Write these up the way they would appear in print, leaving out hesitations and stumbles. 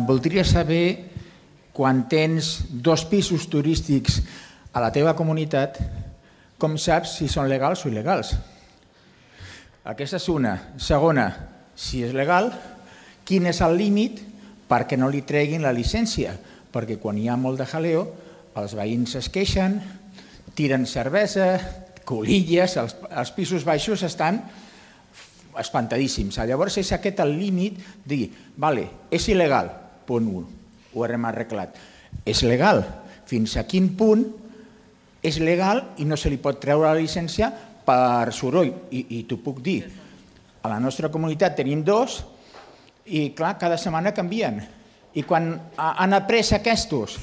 Voldria saber, quan tens 2 pisos turístics a la teva comunitat, com saps si són legals o il·legals? Aquesta és una. Segona, si és legal, quin és el límit perquè no li treguin la llicència? Perquè quan hi ha molt de jaleo, els veïns es queixen, tiren cervesa, colilles, els pisos baixos estan espantadíssims. Llavors és aquest el límit de dir, vale, és il·legal, punt 1, ho hem arreglat. És legal, fins a quin punt és legal i no se li pot treure la llicència per soroll. I t'ho puc dir, a la nostra comunitat tenim 2 i clar, cada setmana canvien. I quan han après aquests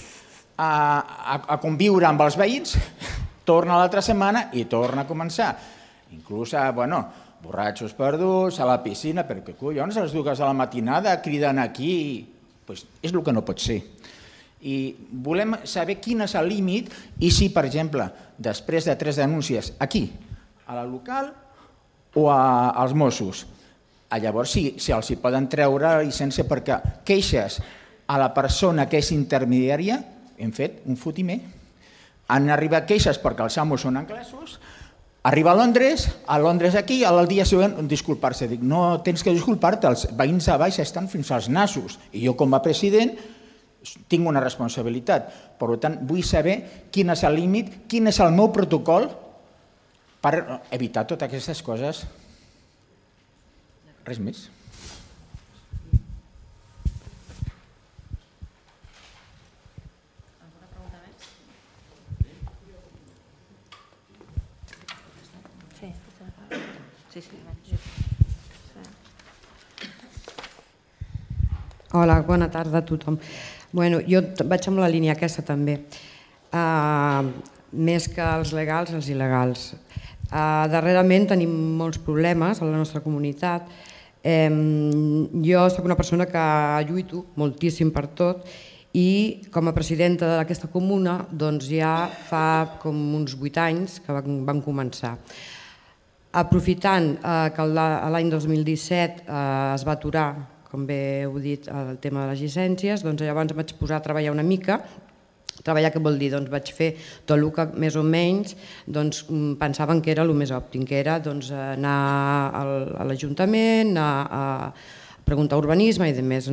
a conviure amb els veïns, torna l'altra setmana i torna a començar. Inclús, borratxos perduts, a la piscina, perquè collons, a les 2 de la matinada criden aquí. És el que no pot ser. I volem saber quin és el límit i si, per exemple, després de 3 denúncies aquí, a la local o als Mossos, llavors si els hi poden treure la llicència perquè queixes a la persona que és intermediària, hem fet un fotimer. Han arribat queixes perquè els amos són anglesos, arriba a Londres aquí, al dia següent disculpar-se. Dic, no tens que disculpar-te, els veïns a baix estan fins als nassos i jo com a president tinc una responsabilitat. Per tant, vull saber quin és el límit, quin és el meu protocol per evitar totes aquestes coses. Res més. Alguna pregunta més? Sí. Hola, bona tarda a tothom. Jo vaig amb la línia aquesta també. Més que els legals, els il·legals. Darrerament tenim molts problemes a la nostra comunitat. Jo soc una persona que lluito moltíssim per tot i com a presidenta d'aquesta comuna ja fa com uns 8 anys que vam començar. Aprofitant que l'any 2017 es va aturar, com bé heu dit, el tema de les llicències, llavors em vaig posar a treballar una mica. Treballar què vol dir? Vaig fer tot el que més o menys pensaven que era el més òptim, que era anar a l'Ajuntament, a preguntar urbanisme i demés.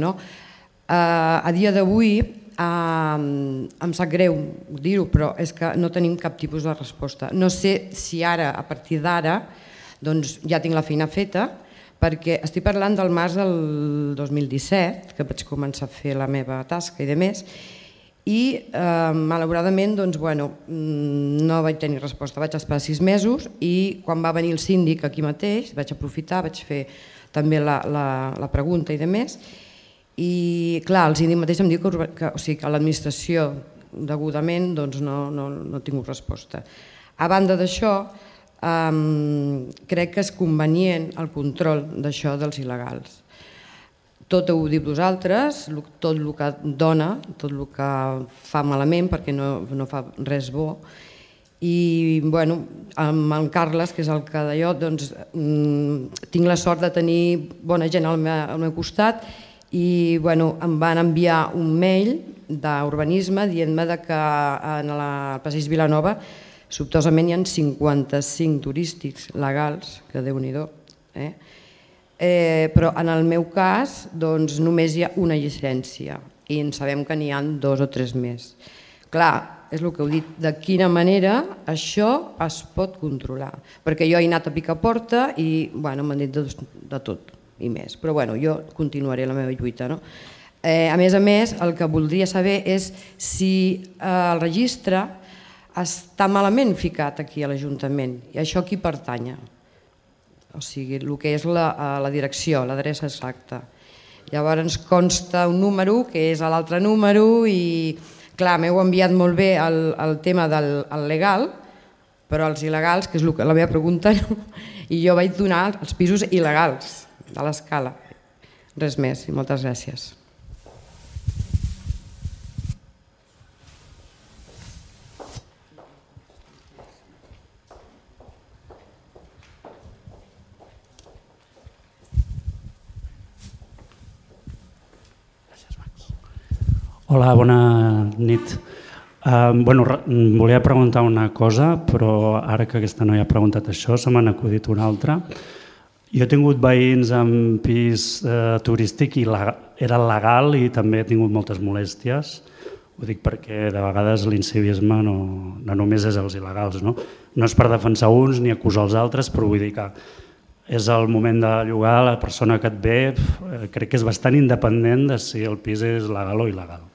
A dia d'avui em sap greu dir-ho, però és que no tenim cap tipus de resposta. No sé si ara, a partir d'ara, ja tinc la feina feta, perquè estic parlant del març del 2017, que vaig començar a fer la meva tasca i demés, i malauradament no vaig tenir resposta. Vaig esperar 6 mesos i quan va venir el síndic aquí mateix vaig aprofitar, vaig fer també la pregunta i demés. I clar, el síndic mateix em diu que l'administració degudament no ha tingut resposta. A banda d'això, crec que és convenient el control d'això dels il·legals. Tot ho diu vosaltres, tot el que dona, tot el que fa malament perquè no fa res bo. I amb en Carles, que és el que d'allò, tinc la sort de tenir bona gent al meu costat i em van enviar un mail d'urbanisme dient-me que al passeig Vilanova sobtosament hi ha 55 turístics legals, que Déu-n'hi-do. Però en el meu cas només hi ha una llicència i en sabem que n'hi ha 2 o 3 més. Clar, és el que heu dit, de quina manera això es pot controlar? Perquè jo he anat a picar porta i m'han dit de tot i més, però jo continuaré la meva lluita. A més, el que voldria saber és si el registre està malament ficat aquí a l'Ajuntament i això a qui pertany? O sigui, el que és la direcció, l'adreça exacta. Llavors ens consta un número que és l'altre número i clar, m'heu enviat molt bé el tema del legal, però els il·legals, que és la meva pregunta, i jo vaig donar els pisos il·legals de l'escala. Res més i moltes gràcies. Hola, bona nit. Volia preguntar una cosa, però ara que aquesta noia ha preguntat això, se m'ha acudit una altra. Jo he tingut veïns amb pis turístic i era legal i també he tingut moltes molèsties. Ho dic perquè de vegades l'incivisme no només és els il·legals. No és per defensar uns ni acusar els altres, però vull dir que és el moment de llogar, la persona que et ve crec que és bastant independent de si el pis és legal o il·legal.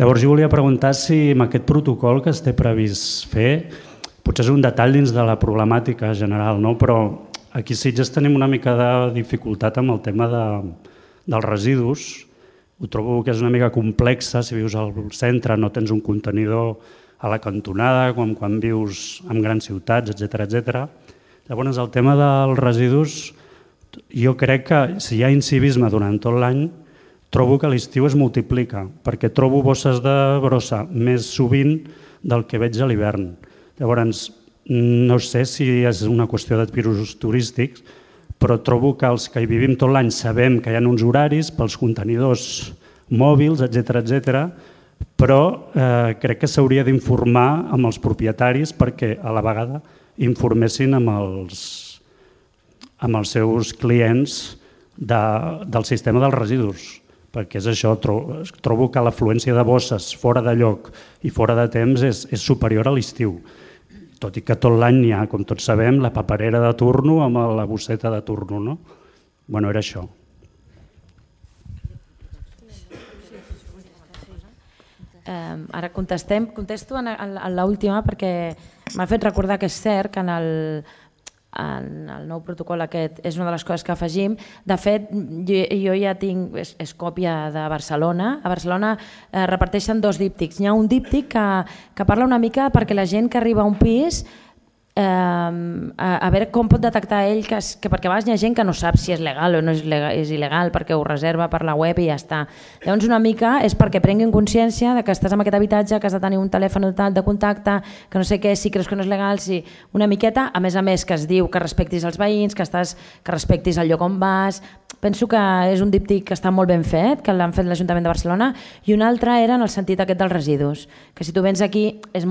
Llavors jo volia preguntar si amb aquest protocol que es té previst fer, potser és un detall dins de la problemàtica general, no? Però aquí a Sitges tenim una mica de dificultat amb el tema dels residus. Ho trobo que és una mica complexa, si vius al centre no tens un contenidor a la cantonada, com quan vius en grans ciutats, etc. Llavors el tema dels residus, jo crec que si hi ha incivisme durant tot l'any, trobo que a l'estiu es multiplica, perquè trobo bosses de brossa més sovint del que veig a l'hivern. Llavors, no sé si és una qüestió de pisos turístics, però trobo que els que hi vivim tot l'any sabem que hi ha uns horaris pels contenidors mòbils, etc. Però crec que s'hauria d'informar amb els propietaris perquè a la vegada informessin amb els seus clients del sistema dels residus, perquè és això, trobo que l'afluència de bosses fora de lloc i fora de temps és superior a l'estiu, tot i que tot l'any n'hi ha, com tots sabem, la paperera de turno amb la bosseta de turno, no? Bueno, era això. Ara contesto en l'última perquè m'ha fet recordar que és cert que en el nou protocol aquest és una de les coses que afegim. De fet, jo ja tinc, és còpia de Barcelona. A Barcelona reparteixen 2 díptics. Hi ha un díptic que parla una mica perquè la gent que arriba a un pis a veure com pot detectar ell que perquè a vegades hi ha gent que no sap si és legal o no és il·legal perquè ho reserva per la web i ja està. Llavors una mica és perquè prenguin consciència de que estàs en aquest habitatge, que has de tenir un telèfon de contacte, que no sé què, si creus que no és legal, si una miqueta, a més que es diu que respectis els veïns, que respectis el lloc on vas. Penso que és un díptic que està molt ben fet, que l'han fet l'Ajuntament de Barcelona, i un altre era en el sentit aquest dels residus, que si tu vens aquí és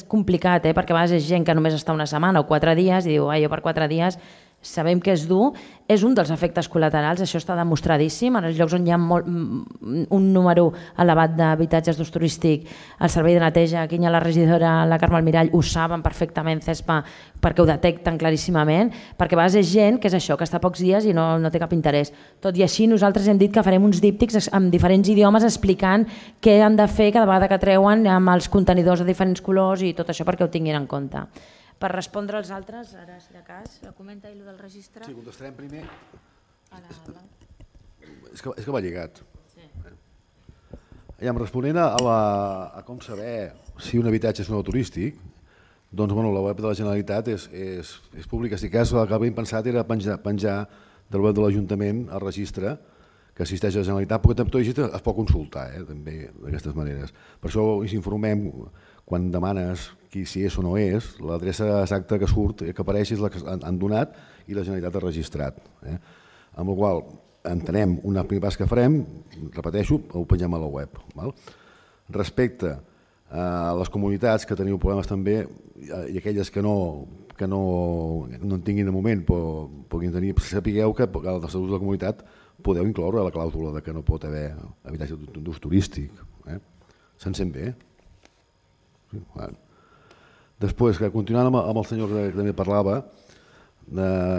complicat, perquè a vegades és gent que només està una setmana o 4 dies i diu, jo per 4 dies sabem que és dur, és un dels efectes col·laterals, això està demostradíssim, en els llocs on hi ha un número elevat d'habitatges d'ús turístic, el servei de neteja, aquí hi ha la regidora, la Carme Almirall, ho saben perfectament, CESPA, perquè ho detecten claríssimament, perquè a vegades és gent que és això, que està pocs dies i no té cap interès. Tot i així nosaltres hem dit que farem uns díptics en diferents idiomes explicant què han de fer cada vegada que treuen amb els contenidors de diferents colors i tot això perquè ho tinguin en compte. Per respondre als altres, ara si de cas... Comenta i el del registre. Sí, contestarem primer. És que va lligat. Responent a com saber si un habitatge és nou turístic, doncs la web de la Generalitat és pública. Si cas, el que havíem pensat era penjar del web de l'Ajuntament el registre que assisteix a la Generalitat, perquè tot registre es pot consultar també d'aquestes maneres. Per això ens informem quan demanes si és o no és, l'adreça exacta que surt, que apareix és la que han donat i la Generalitat ha registrat. Amb la qual entenem un primer pas que farem, repeteixo, ho pengem a la web. Respecte a les comunitats que teniu problemes també i aquelles que no en tinguin de moment, però puguin tenir, sapigueu que als estatuts de la comunitat podeu incloure la clàusula que no pot haver habitatge d'ús turístic. Se'n sent bé? Després, continuant amb el senyor que també parlava,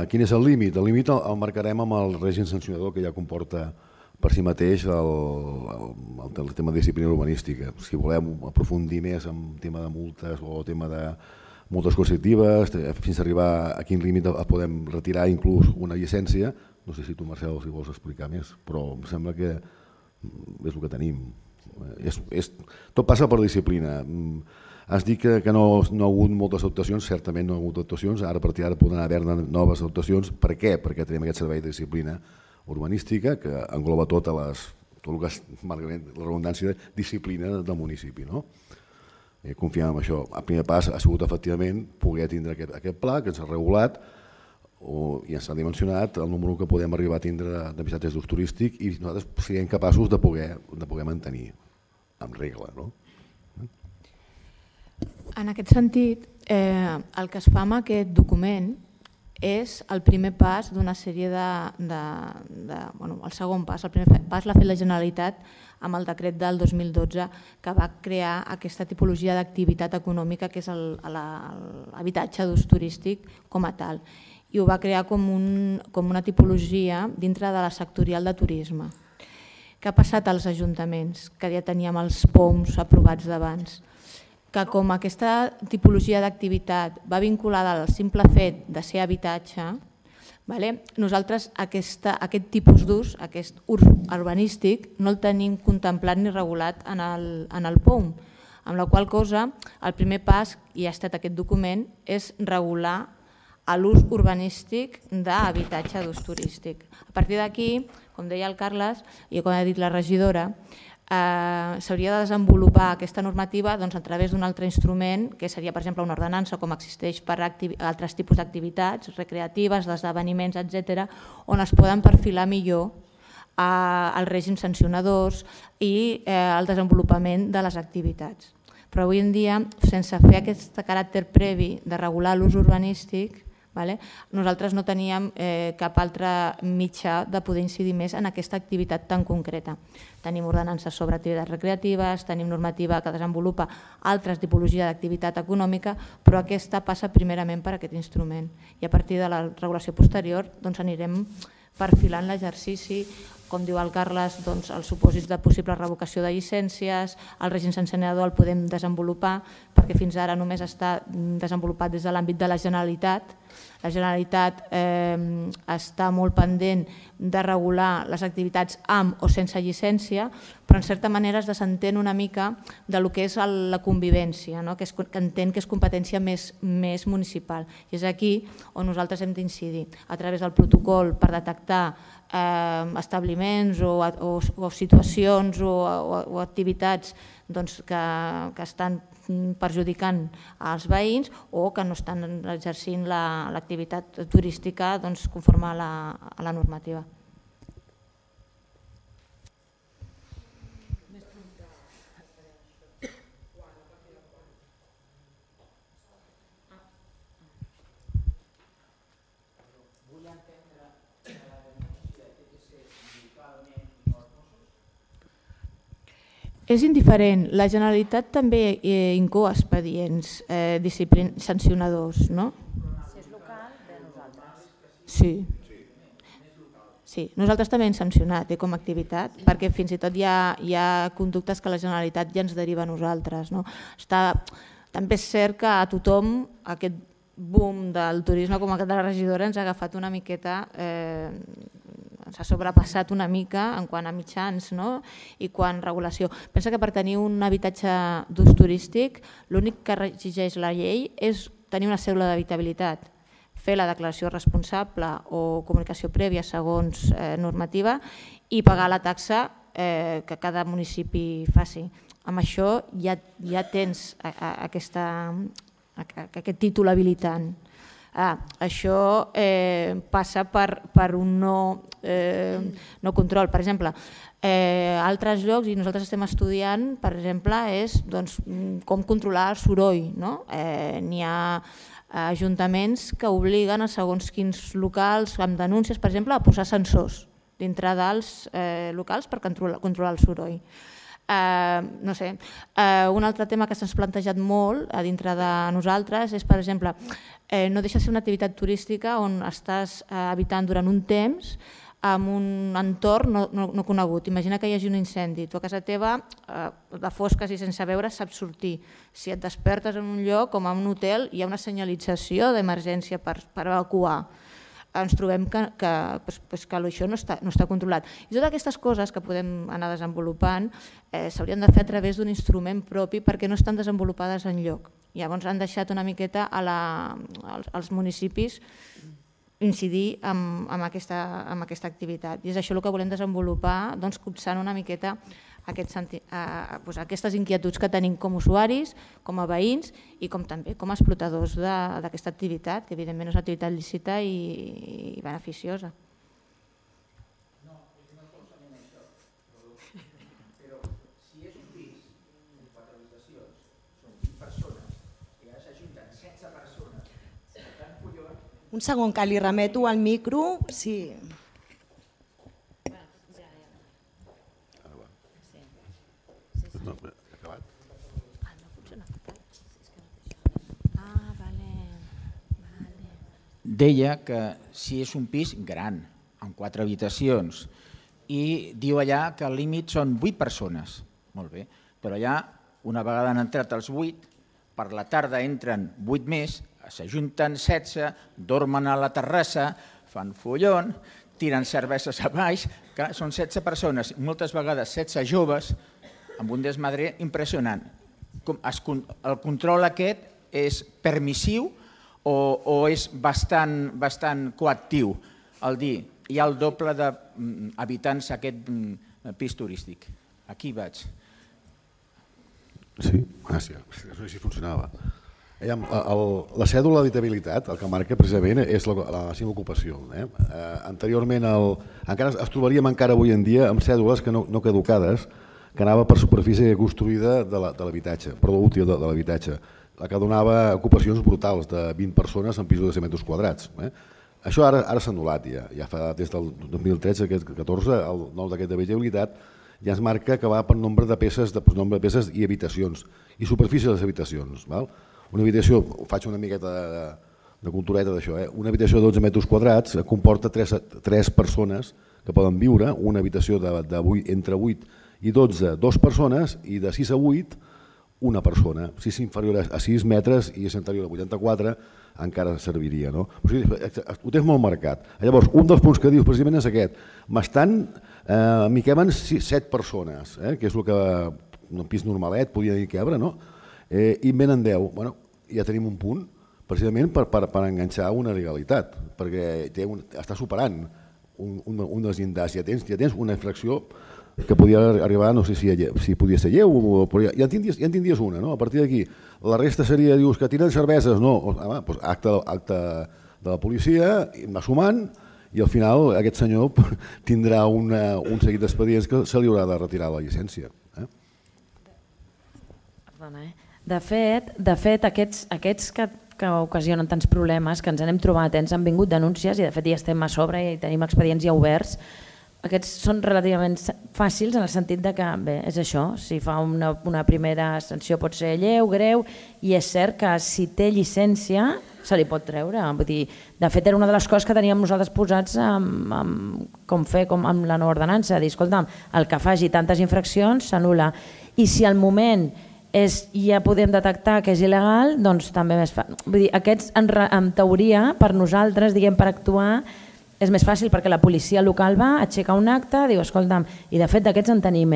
quin és el límit? El límit el marcarem amb el règim sancionador que ja comporta per si mateix el tema de disciplina urbanística. Si volem aprofundir més en tema de multes o tema de multes coercitives, fins a arribar a quin límit podem retirar inclús una llicència, no sé si tu, Marcel, si vols explicar més, però em sembla que és el que tenim. Tot passa per disciplina. Has dit que no ha hagut moltes actuacions, certament no ha hagut actuacions, ara a partir d'ara poden haver-ne noves actuacions. Per què? Perquè tenim aquest servei de disciplina urbanística que engloba tot el que és la redundància de disciplina del municipi. Confiem en això. El primer pas ha sigut efectivament poder tindre aquest pla que ens ha regulat i ens ha dimensionat el número que podem arribar a tindre d'habitatges d'ús turístic i nosaltres siguem capaços de poder mantenir. amb regla, no? En aquest sentit, el que es fa amb aquest document és el primer pas d'una sèrie el segon pas. El primer pas l'ha fet la Generalitat amb el decret del 2012 que va crear aquesta tipologia d'activitat econòmica que és l'habitatge d'ús turístic com a tal. I ho va crear com una tipologia dintre de la sectorial de turisme. Què ha passat als ajuntaments? Que ja teníem els POMs aprovats d'abans. Que com aquesta tipologia d'activitat va vinculada al simple fet de ser habitatge, nosaltres aquest tipus d'ús, aquest ús urbanístic, no el tenim contemplat ni regulat en el POM, amb la qual cosa el primer pas, i ha estat aquest document, és regular l'ús urbanístic d'habitatge d'ús turístic. A partir d'aquí, com deia el Carles i com ha dit la regidora, s'hauria de desenvolupar aquesta normativa a través d'un altre instrument, que seria, per exemple, una ordenança, com existeix per altres tipus d'activitats recreatives, d'esdeveniments, etc., on es poden perfilar millor els règims sancionadors i el desenvolupament de les activitats. Però avui en dia, sense fer aquest caràcter previ de regular l'ús urbanístic, nosaltres no teníem cap altre mitjà de poder incidir més en aquesta activitat tan concreta. Tenim ordenances sobre activitats recreatives, tenim normativa que desenvolupa altres tipologies d'activitat econòmica, però aquesta passa primerament per aquest instrument. I a partir de la regulació posterior anirem perfilant l'exercici, com diu el Carles, els supòsits de possible revocació de llicències, el règim sancionador el podem desenvolupar, perquè fins ara només està desenvolupat des de l'àmbit de la Generalitat. La Generalitat està molt pendent de regular les activitats amb o sense llicència, però en certa manera es desentén una mica del que és la convivència, que entén que és competència més municipal. I és aquí on nosaltres hem d'incidir, a través del protocol per detectar establiments o situacions o activitats que estan perjudicant als veïns o que no estan exercint l'activitat turística conforme a la normativa. És indiferent. La Generalitat també incou expedients sancionadors, no? Si és local, de nosaltres. Sí. Sí, nosaltres també hem sancionat com a activitat, perquè fins i tot hi ha conductes que la Generalitat ja ens deriva a nosaltres. També és cert que a tothom aquest boom del turisme, com aquest de la regidora, ens ha agafat una miqueta, s'ha sobrepassat una mica en quant a mitjans i quant a regulació. Pensa que per tenir un habitatge d'ús turístic l'únic que exigeix la llei és tenir una cèdula d'habitabilitat, fer la declaració responsable o comunicació prèvia segons normativa i pagar la taxa que cada municipi faci. Amb això ja tens aquest títol habilitant. Això passa per un no control. Per exemple, altres llocs, i nosaltres estem estudiant, per exemple, és com controlar el soroll. N'hi ha ajuntaments que obliguen a segons quins locals amb denúncies, per exemple, a posar sensors dintre dels locals per controlar el soroll. No sé, un altre tema que s'ha plantejat molt a dintre de nosaltres és, per exemple, no deixa de ser una activitat turística on estàs habitant durant un temps en un entorn no conegut. Imagina que hi hagi un incendi, tu a casa teva, de fosques i sense veure, saps sortir. Si et despertes en un lloc com en un hotel, hi ha una senyalització d'emergència per evacuar. Ens trobem que això no està controlat. I totes aquestes coses que podem anar desenvolupant s'haurien de fer a través d'un instrument propi perquè no estan desenvolupades enlloc. Llavors han deixat una miqueta als municipis incidir en aquesta activitat. I és això el que volem desenvolupar, copsant una miqueta aquestes inquietuds que tenim com a usuaris, com a veïns i també com a explotadors d'aquesta activitat, que evidentment és una activitat lícita i beneficiosa. No, és una cosa en això, però si és un pis Un segon, que li remeto al micro. Sí. Deia que si és un pis gran, amb 4 habitacions, i diu allà que el límit són 8 persones. Molt bé, però allà, una vegada han entrat els 8, per la tarda entren 8 més, s'ajunten 16, dormen a la terrassa, fan follon, tiren cerveses a baix, clar, són 16 persones, moltes vegades 16 joves, amb un desmadre impressionant. El control aquest és permissiu o és bastant coactiu? El dir, hi ha el doble d'habitants a aquest pis turístic. Aquí vaig. Sí, gràcies. No sé si funcionava. La cèdula d'habitabilitat, el que marca precisament és la seva ocupació. Anteriorment encara es trobaríem encara avui en dia amb cèdules que no caducades, que anava per superfície construïda de l'habitatge, perdó, útil de l'habitatge, la que donava ocupacions brutals de 20 persones en pisos de 100 metres quadrats. Això ara s'ha anul·lat ja fa des del 2013-2014, el nou decret d'habitabilitat ja es marca que va per nombre de peces i habitacions i superfície de les habitacions. Una habitació, faig una miqueta de cultureta d'això, una habitació de 12 metres quadrats comporta 3 persones que poden viure, una habitació entre 8 i 12, 2 persones, i de 6 a 8, una persona. Si és inferior a 6 metres i és anterior a 84, encara serviria. O sigui, ho tens molt marcat. Llavors, un dels punts que dius precisament és aquest. M'hi queben 7 persones, que és el que un pis normalet podia dir quebre, i en venen 10. Ja tenim un punt, precisament per enganxar una legalitat, perquè està superant un dels llindars. Ja tens una infracció que podia arribar, no sé si podia ser lleu, però ja en tindries una. A partir d'aquí, la resta seria, dius, que tiren cerveses, no, doncs acte de la policia, va sumant, i al final aquest senyor tindrà un seguit d'expedients que se li haurà de retirar la llicència. Perdona, De fet, aquests que ocasionen tants problemes, que ens n'hem trobat, ens han vingut denúncies i de fet ja estem a sobre i tenim expedients ja oberts. Aquests són relativament fàcils en el sentit que, bé, és això, si fa una primera sanció pot ser lleu, greu, i és cert que si té llicència se li pot treure. Vull dir, de fet, era una de les coses que teníem nosaltres posats com fer amb la nova ordenança, dir, escolta'm, el que faci tantes infraccions s'anul·la. I si al moment ja podem detectar que és il·legal, doncs també més fàcil. Vull dir, aquests, en teoria, per nosaltres, diguem, per actuar, és més fàcil perquè la policia local va, aixeca un acte, diu, escolta'm, i de fet d'aquests en tenim,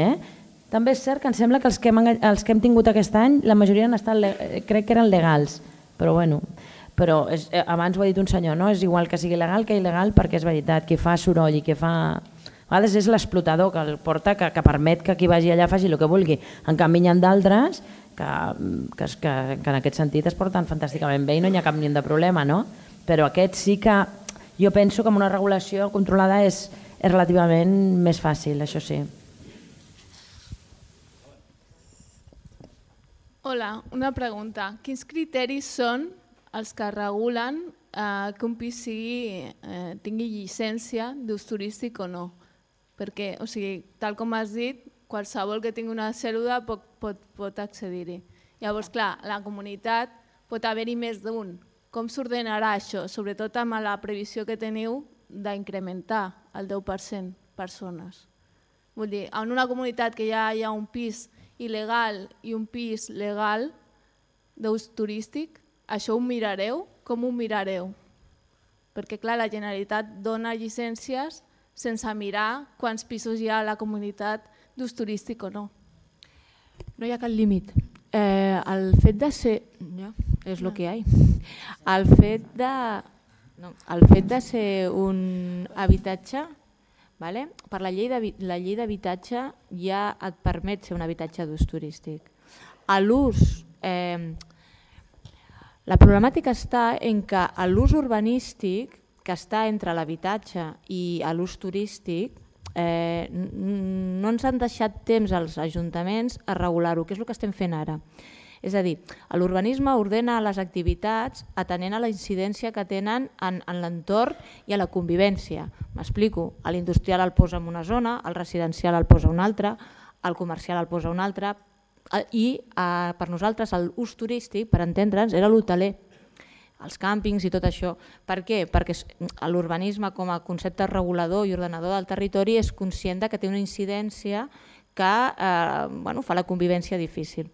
També és cert que em sembla que els que hem tingut aquest any, la majoria han estat, crec que eren legals, però bueno, abans ho ha dit un senyor, no? És igual que sigui legal que il·legal perquè és veritat, qui fa soroll i qui fa... A vegades és l'explotador que el porta, que permet que qui vagi allà faci el que vulgui. En canvi, hi ha d'altres que en aquest sentit es porten fantàsticament bé i no hi ha cap ni de problema, no? Però aquests sí que... Jo penso que amb una regulació controlada és relativament més fàcil, això sí. Hola, una pregunta. Quins criteris són els que regulen que un pis tingui llicència d'ús turístic o no? Perquè, o sigui, tal com has dit, qualsevol que tingui una cèl·lula pot accedir-hi. Llavors, clar, a la comunitat pot haver-hi més d'un. Com s'ordenarà això, sobretot amb la previsió que teniu d'incrementar el 10% persones? Vull dir, en una comunitat que ja hi ha un pis il·legal i un pis legal d'ús turístic, això ho mirareu? Com ho mirareu? Perquè, clar, la Generalitat dona llicències sense mirar quants pisos hi ha a la comunitat d'ús turístic o no. No hi ha cap límit. El fet de ser... és el que hi ha. El fet de ser un habitatge, per la llei d'habitatge ja et permet ser un habitatge d'ús turístic. A l'ús... La problemàtica està en que l'ús urbanístic, que està entre l'habitatge i l'ús turístic, no ens han deixat temps als ajuntaments a regular-ho, que és el que estem fent ara. És a dir, l'urbanisme ordena les activitats atenent a la incidència que tenen en l'entorn i a la convivència. M'explico, l'industrial el posa en una zona, el residencial el posa en una altra, el comercial el posa en una altra, i per nosaltres l'ús turístic, per entendre'ns, era l'hoteler, els càmpings i tot això. Per què? Perquè l'urbanisme com a concepte regulador i ordenador del territori és conscient que té una incidència que fa la convivència difícil.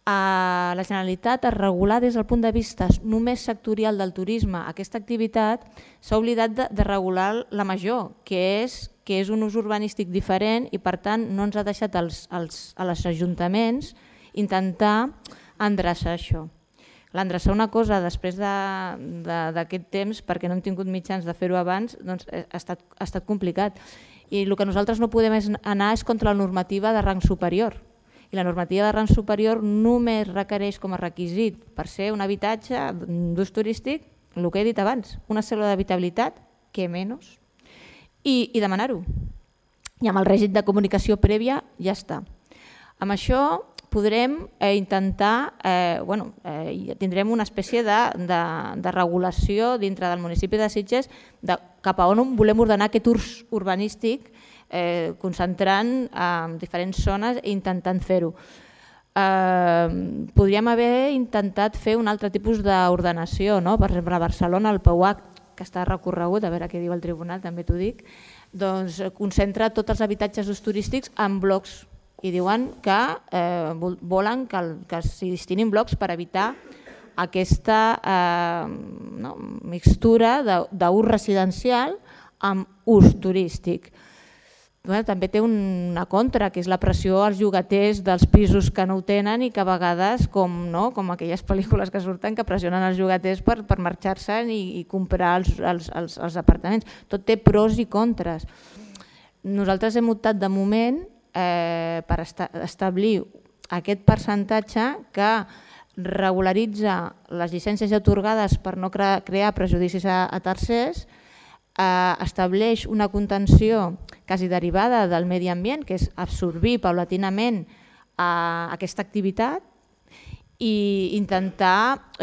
La Generalitat, a regular des del punt de vista només sectorial del turisme aquesta activitat, s'ha oblidat de regular la major, que és un ús urbanístic diferent i per tant no ens ha deixat als ajuntaments intentar endreçar això. L'endreçar una cosa després d'aquest temps, perquè no hem tingut mitjans de fer-ho abans, ha estat complicat. I el que nosaltres no podem anar és contra la normativa de rang superior. I la normativa de rang superior només requereix com a requisit per ser un habitatge d'ús turístic, el que he dit abans, una cèl·lula d'habitabilitat, que menys, i demanar-ho. I amb el règim de comunicació prèvia ja està. Amb això podrem intentar, tindrem una espècie de regulació dintre del municipi de Sitges cap a on volem ordenar aquest ús urbanístic, concentrant en diferents zones i intentant fer-ho. Podríem haver intentat fer un altre tipus d'ordenació, per exemple a Barcelona el PUAC, que està recorregut, a veure què diu el tribunal, també t'ho dic, doncs concentra tots els habitatges d'ús turístics en blocs i diuen que volen que s'hi destinin blocs per evitar aquesta mixtura d'ús residencial amb ús turístic. També té una contra, que és la pressió als llogaters dels pisos que no ho tenen i que a vegades, com aquelles pel·lícules que surten, que pressionen els llogaters per marxar-se'n i comprar els apartaments. Tot té pros i contres. Nosaltres hem optat de moment per establir aquest percentatge que regularitza les llicències atorgades per no crear prejudicis a tercers, estableix una contenció quasi derivada del medi ambient, que és absorbir paulatinament aquesta activitat i intentar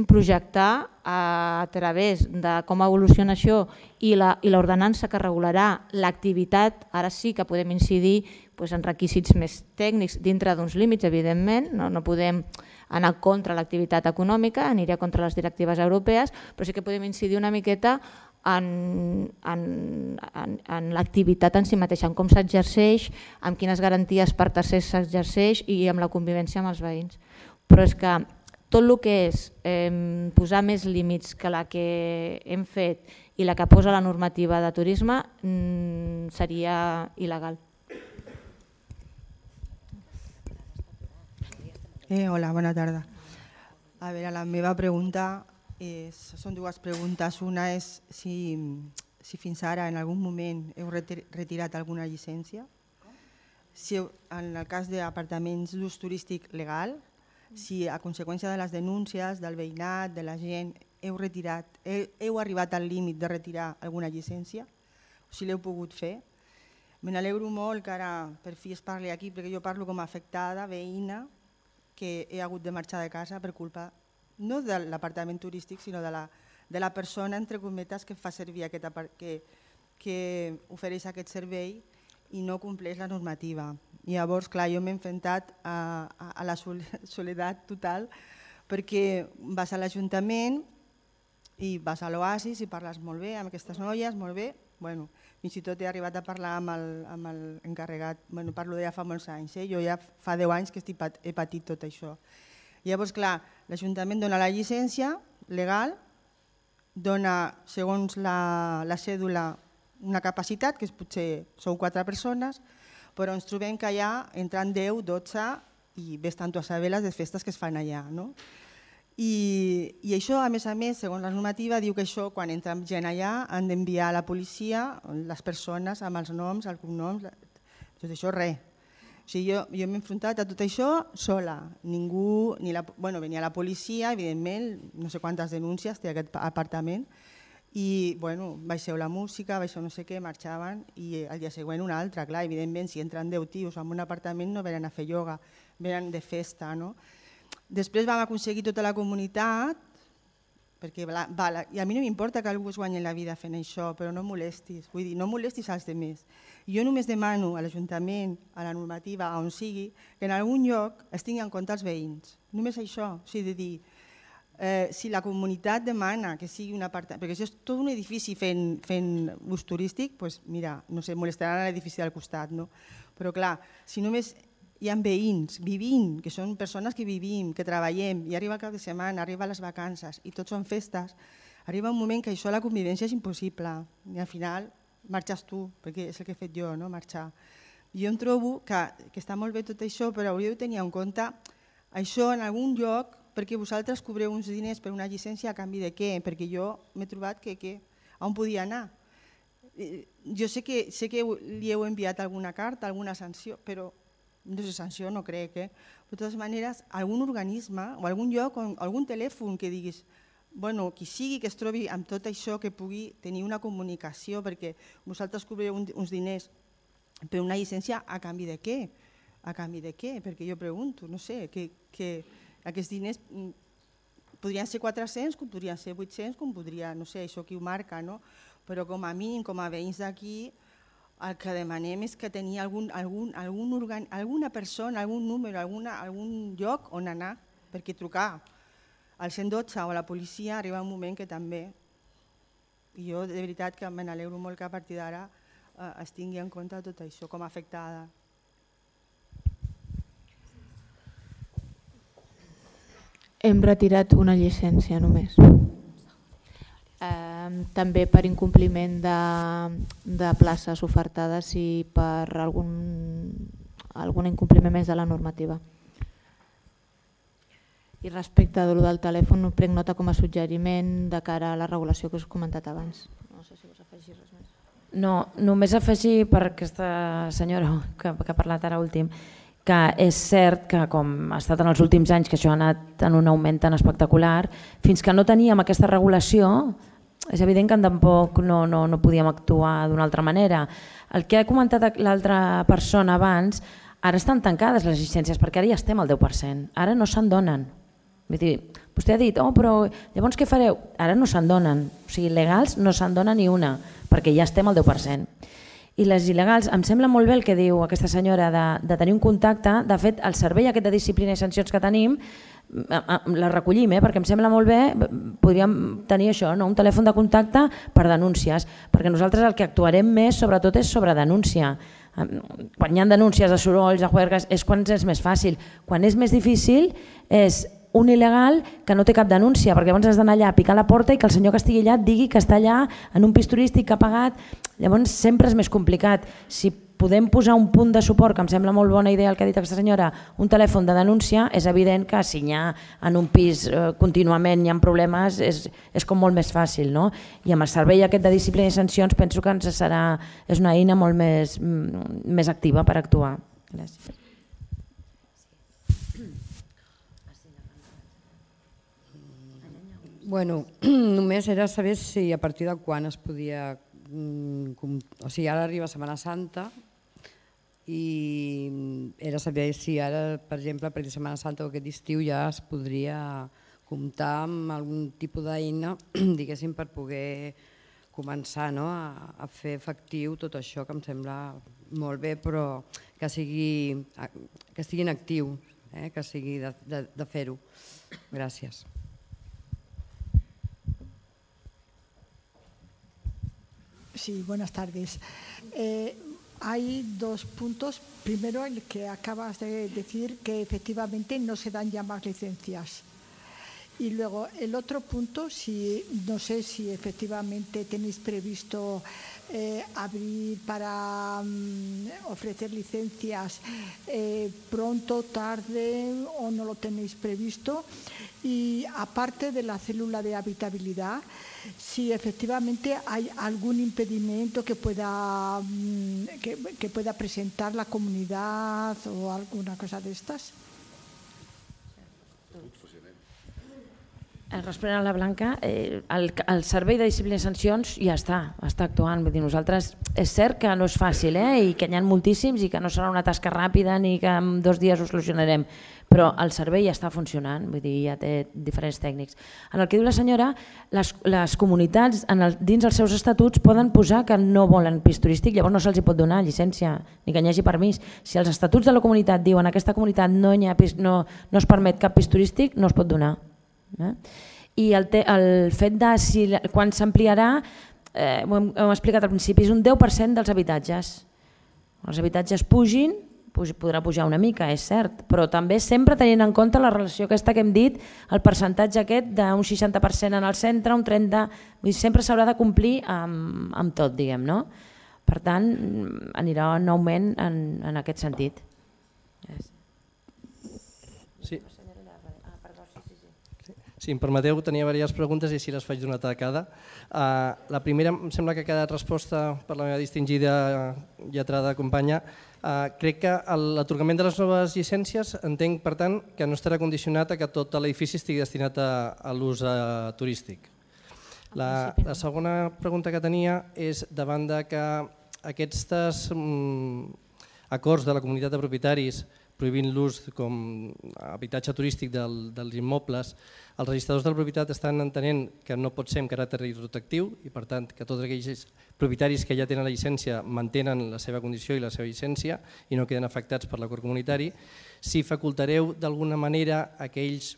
projectar a través de com evoluciona això i l'ordenança que regularà l'activitat. Ara sí que podem incidir en requisits més tècnics dintre d'uns límits, evidentment, no podem anar contra l'activitat econòmica, aniria contra les directives europees, però sí que podem incidir una miqueta en l'activitat en si mateixa, en com s'exerceix, amb quines garanties per tercers s'exerceix i amb la convivència amb els veïns. Però és que tot el que és posar més límits que la que hem fet i la que posa la normativa de turisme seria il·legal. Hola, bona tarda. A veure, la meva pregunta són dues preguntes. Una és si fins ara en algun moment heu retirat alguna llicència. Si en el cas d'apartaments d'ús turístic legal, si a conseqüència de les denúncies del veïnat, de la gent, heu arribat al límit de retirar alguna llicència, o si l'heu pogut fer. Me n'alegro molt que ara per fi es parli aquí, perquè jo parlo com a afectada, veïna, que he hagut de marxar de casa per culpa no de l'apartament turístic, sinó de la persona, entre cometes, que fa servir que ofereix aquest servei i no compleix la normativa. I llavors, clar, jo m'he enfrontat a la soledat total, perquè vas a l'Ajuntament i vas a l'Oasis i parles molt bé amb aquestes noies, molt bé. Fins i tot he arribat a parlar amb l'encarregat, parlo de ja fa molts anys, jo ja fa 10 anys que he patit tot això. Llavors, clar, l'Ajuntament dona la llicència legal, dona, segons la cèdula, una capacitat, que potser sou 4 persones, però ens trobem que allà entran 10, 12 i ves tant a saber les festes que es fan allà. I això, a més, segons la normativa, diu que això, quan entra gent allà, han d'enviar a la policia les persones amb els noms, els cognoms, tot això res. Jo m'he enfrontat a tot això sola. Ningú, venia la policia, evidentment, no sé quantes denúncies té aquest apartament, i bueno, baixeu la música, baixeu no sé què, marxaven i al dia següent una altra. Clar, evidentment, si entren 10 tios en un apartament no venen a fer ioga, venen de festa. No? Després vam aconseguir tota la comunitat, perquè i a mi no m'importa que algú es guanyi la vida fent això, però no molestis, vull dir, no molestis als altres. Jo només demano a l'Ajuntament, a la normativa, a on sigui, que en algun lloc es tingui en compte els veïns. Només això, o sigui, de dir, si la comunitat demana que sigui un apartament, perquè això és tot un edifici fent ús turístic, doncs mira, no sé, molestaran l'edifici del costat, no? Però clar, si només hi ha veïns vivint, que són persones que vivim, que treballem, i arriba el cap de setmana, arriba les vacances i tots són festes, arriba un moment que això, la convivència és impossible i al final marxes tu, perquè és el que he fet jo, no? Marxar. Jo em trobo que està molt bé tot això, però hauríeu de tenir en compte això en algun lloc, perquè vosaltres cobreu uns diners per una llicència a canvi de què? Perquè jo m'he trobat que on podia anar. Jo sé que li heu enviat alguna carta, alguna sanció, però no sé, sanció no crec. De totes maneres, algun organisme o algun lloc, algun telèfon que diguis, bueno, qui sigui que es trobi amb tot això que pugui tenir una comunicació, perquè vosaltres cobreu uns diners per una llicència a canvi de què? A canvi de què? Perquè jo pregunto, no sé, que aquests diners podrien ser 400, com podrien ser 800, com podria, no sé, això qui ho marca, no? Però com a mínim, com a veïns d'aquí, el que demanem és que tenir alguna persona, algun número, algun lloc on anar, perquè trucar al 112 o a la policia arriba un moment que també, i jo de veritat que me n'alegro molt que a partir d'ara es tingui en compte tot això com a afectada. Hem retirat una llicència només. També per incompliment de places ofertades i per algun incompliment més de la normativa. I respecte a del telèfon, prenc nota com a suggeriment de cara a la regulació que us he comentat abans. No sé si vols afegir res més. No, només afegir per aquesta senyora que ha parlat ara últim, que és cert que com ha estat en els últims anys que això ha anat en un augment tan espectacular, fins que no teníem aquesta regulació és evident que tampoc no podíem actuar d'una altra manera. El que ha comentat l'altra persona abans, ara estan tancades les llicències perquè ara ja estem al 10%, ara no se'n donen. Vostè ha dit, però llavors què fareu? Ara no se'n donen, o sigui, legals no se'n dona ni una, perquè ja estem al 10%. I les il·legals, em sembla molt bé el que diu aquesta senyora de tenir un contacte. De fet, el servei aquest de disciplina i sancions que tenim, la recollim, perquè em sembla molt bé, podríem tenir això, un telèfon de contacte per denúncies, perquè nosaltres el que actuarem més sobretot és sobre denúncia. Quan hi ha denúncies de sorolls, de juergues, és quan és més fàcil. Quan és més difícil és un il·legal que no té cap denúncia, perquè llavors has d'anar allà a picar la porta i que el senyor que estigui allà et digui que està allà en un pis turístic que ha pagat. Llavors sempre és més complicat. Si podem posar un punt de suport, que em sembla molt bona idea el que ha dit aquesta senyora, un telèfon de denúncia, és evident que si hi ha en un pis contínuament hi ha problemes és com molt més fàcil. I amb el servei aquest de disciplina i sancions penso que és una eina molt més activa per actuar. Gràcies. Bueno, només era saber si a partir de quan es podia... O sigui, ara arriba Setmana Santa i era saber si ara, per exemple, a partir de Setmana Santa o aquest estiu ja es podria comptar amb algun tipus d'eina, diguéssim, per poder començar a fer efectiu tot això, que em sembla molt bé, però que sigui en actiu, que sigui de fer-ho. Gràcies. Sí, buenas tardes. Hay dos puntos. Primero, el que acabas de decir, que efectivamente no se dan ya más licencias. Y luego el otro punto, no sé si efectivamente tenéis previsto abrir para ofrecer licencias pronto, tarde o no lo tenéis previsto. Y aparte de la célula de habitabilidad, si efectivamente hay algún impedimento que pueda presentar la comunidad o alguna cosa de estas. Responent a la Blanca, el Servei de Disciplina i Sancions ja està actuant. Vull dir, nosaltres és cert que no és fàcil i que n'hi ha moltíssims i que no serà una tasca ràpida ni que en 2 dies ho solucionarem, però el servei ja està funcionant, vull dir, ja té diferents tècnics. En el que diu la senyora, les comunitats dins els seus estatuts poden posar que no volen pis turístic, llavors no se'ls pot donar llicència ni que n'hi hagi permís. Si els estatuts de la comunitat diuen que en aquesta comunitat no es permet cap pis turístic, no es pot donar. I el fet de quan s'ampliarà, ho hem explicat al principi, és un 10% dels habitatges. Els habitatges pugin, podrà pujar una mica, és cert, però també sempre tenint en compte la relació aquesta que hem dit, el percentatge aquest d'un 60% en el centre, un 30%, sempre s'haurà de complir amb tot, diguem, no? Per tant, anirà en augment en aquest sentit. Sí. Si em permeteu, tenia diverses preguntes i així les faig d'una tacada. La primera em sembla que ha quedat resposta per la meva distingida lletrada companya. Crec que l'atorgament de les noves llicències entenc, per tant, que no estarà condicionat a que tot l'edifici estigui destinat a l'ús turístic. La segona pregunta que tenia és davant que aquests acords de la comunitat de propietaris prohibint l'ús com a habitatge turístic dels immobles, els registradors de la propietat estan entenent que no pot ser amb caràcter retroactiu i per tant que tots aquells propietaris que ja tenen la llicència mantenen la seva condició i la seva llicència i no queden afectats per l'acord comunitari. Si facultareu d'alguna manera aquells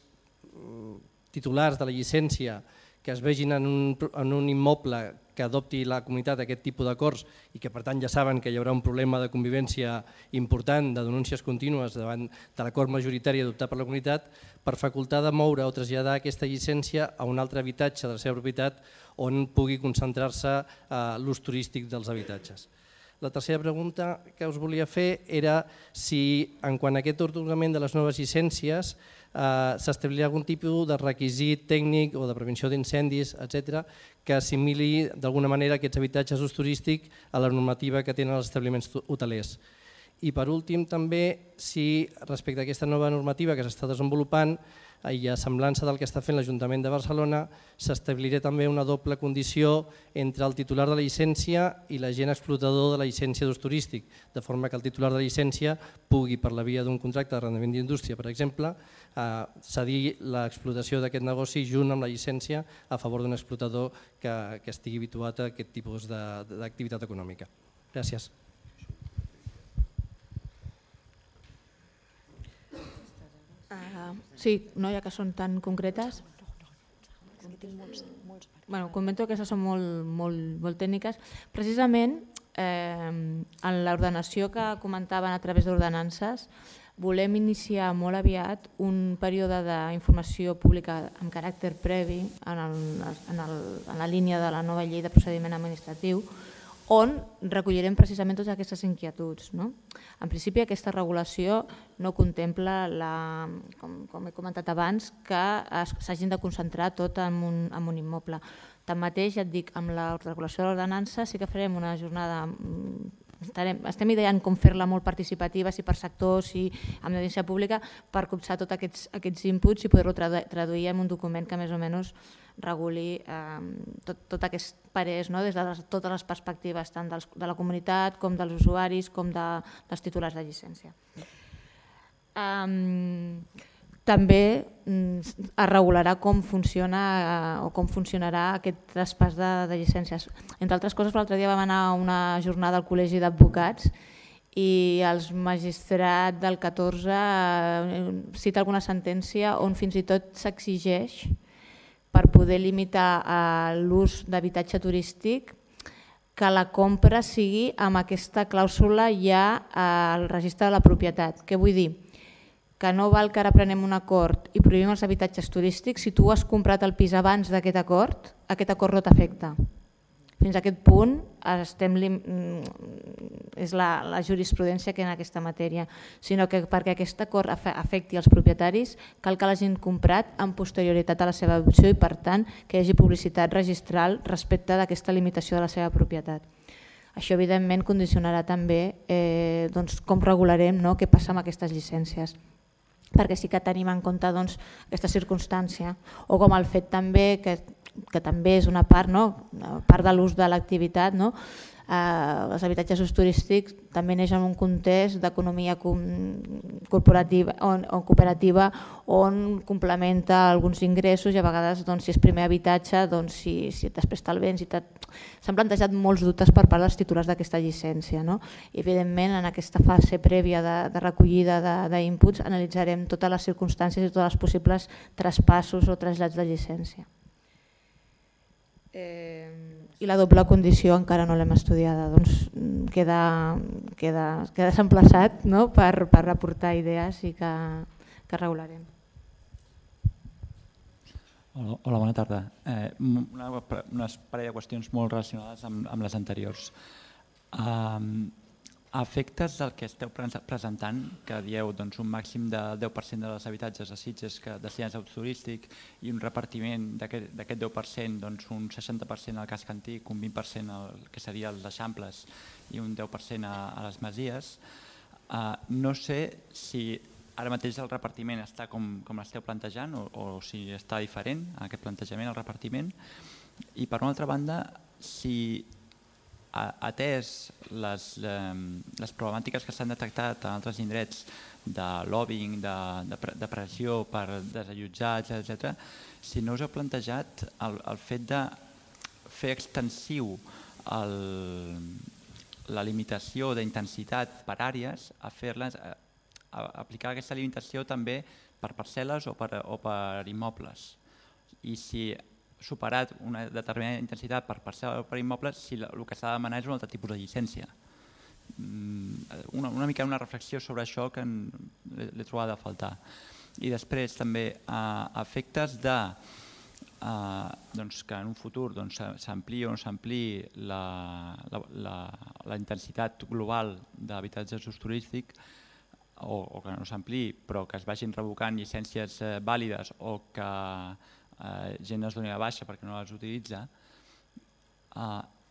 titulars de la llicència que es vegin en un immoble que adopti la comunitat aquest tipus d'acords i que per tant ja saben que hi haurà un problema de convivència important, de denúncies contínues davant de l'acord majoritari adoptat per la comunitat, per facultar de moure o traslladar aquesta llicència a un altre habitatge de la seva propietat on pugui concentrar-se l'ús turístic dels habitatges. La tercera pregunta que us volia fer era si, en quant a aquest atorgament de les noves llicències, s'establirà algun tipus de requisit tècnic o de prevenció d'incendis, etc., que assimili d'alguna manera aquests habitatges d'ús turístic a la normativa que tenen els establiments hotelers. I per últim també, si respecte a aquesta nova normativa que s'està desenvolupant i a semblança del que està fent l'Ajuntament de Barcelona, s'establirà també una doble condició entre el titular de la llicència i l'agent explotador de la llicència d'ús turístic, de forma que el titular de la llicència pugui, per la via d'un contracte d'arrendament d'indústria, per exemple, cedir l'explotació d'aquest negoci junt amb la llicència a favor d'un explotador que estigui habituat a aquest tipus d'activitat econòmica. Gràcies. Sí, no, ja que són tan concretes. Comento que aquestes són molt tècniques. Precisament, en l'ordenació que comentaven a través d'ordenances, volem iniciar molt aviat un període d'informació pública amb caràcter previ en la línia de la nova llei de procediment administratiu, on recollirem precisament totes aquestes inquietuds. En principi, aquesta regulació no contempla, com he comentat abans, que s'hagin de concentrar tot en un immoble. Tanmateix, ja et dic, amb la regulació de l'ordenança sí que farem una jornada, estem ideant com fer-la molt participativa, si per sectors, si amb l'audiència pública, per copsar tots aquests inputs i poder-ho traduir en un document que més o menys reguli tot aquests parers des de totes les perspectives, tant de la comunitat com dels usuaris com dels titulars de llicència. També es regularà com funciona o com funcionarà aquest traspàs de llicències. Entre altres coses, l'altre dia vam anar a una jornada al Col·legi d'Advocats i el magistrat del 14 cita alguna sentència on fins i tot s'exigeix per poder limitar l'ús d'habitatge turístic que la compra sigui amb aquesta clàusula ja al registre de la propietat. Què vull dir? Que no val que ara prenem un acord i prohibim els habitatges turístics. Si tu has comprat el pis abans d'aquest acord no t'afecta. Fins a aquest punt és la jurisprudència que hi ha en aquesta matèria, sinó que perquè aquest acord afecti els propietaris cal que l'hagin comprat amb posterioritat a la seva adopció i per tant que hi hagi publicitat registral respecte d'aquesta limitació de la seva propietat. Això evidentment condicionarà també com regularem què passa amb aquestes llicències. perquè sí que tenim en compte aquesta circumstància, o com el fet també, que també és una part de l'ús de l'activitat, els habitatges d'ús turístic també neix en un context d'economia corporativa o cooperativa on complementa alguns ingressos i a vegades si és primer habitatge, si després te'l vens. S'han plantejat molts dubtes per part dels titulars d'aquesta llicència. I evidentment en aquesta fase prèvia de recollida d'inputs analitzarem totes les circumstàncies i tots els possibles traspassos o trasllats de llicència. I la doble condició encara no l'hem estudiada, queda s'emplaçat per aportar idees i que regularem. Hola, bona tarda. Una parella de qüestions molt relacionades amb les anteriors. A efectes del que esteu presentant, que dieu un màxim del 10% dels habitatges a Sitges destinats a ús turístic i un repartiment d'aquest 10%, un 60% al casc antic, un 20% al que serien els eixamples i un 10% a les masies, no sé si ara mateix el repartiment està com l'esteu plantejant o si està diferent aquest plantejament, el repartiment. I per una altra banda, si atès les problemàtiques que s'han detectat en altres indrets de lobbying, de pressió per desallotjar, etc., si no us heu plantejat el fet de fer extensiu la limitació d'intensitat per àrees, a aplicar aquesta limitació també per parcel·les o per immobles. I si superat una determinada intensitat per parcel·la o per immobles, si el que s'ha de demanar és un altre tipus de llicència. Una mica una reflexió sobre això que l'he trobat a faltar. I després també a efectes que en un futur s'ampliï o no s'ampliï la intensitat global d'habitatges d'ús turístic o que no s'ampliï però que es vagin revocant llicències vàlides o que gent es doni de baixa perquè no les utilitza,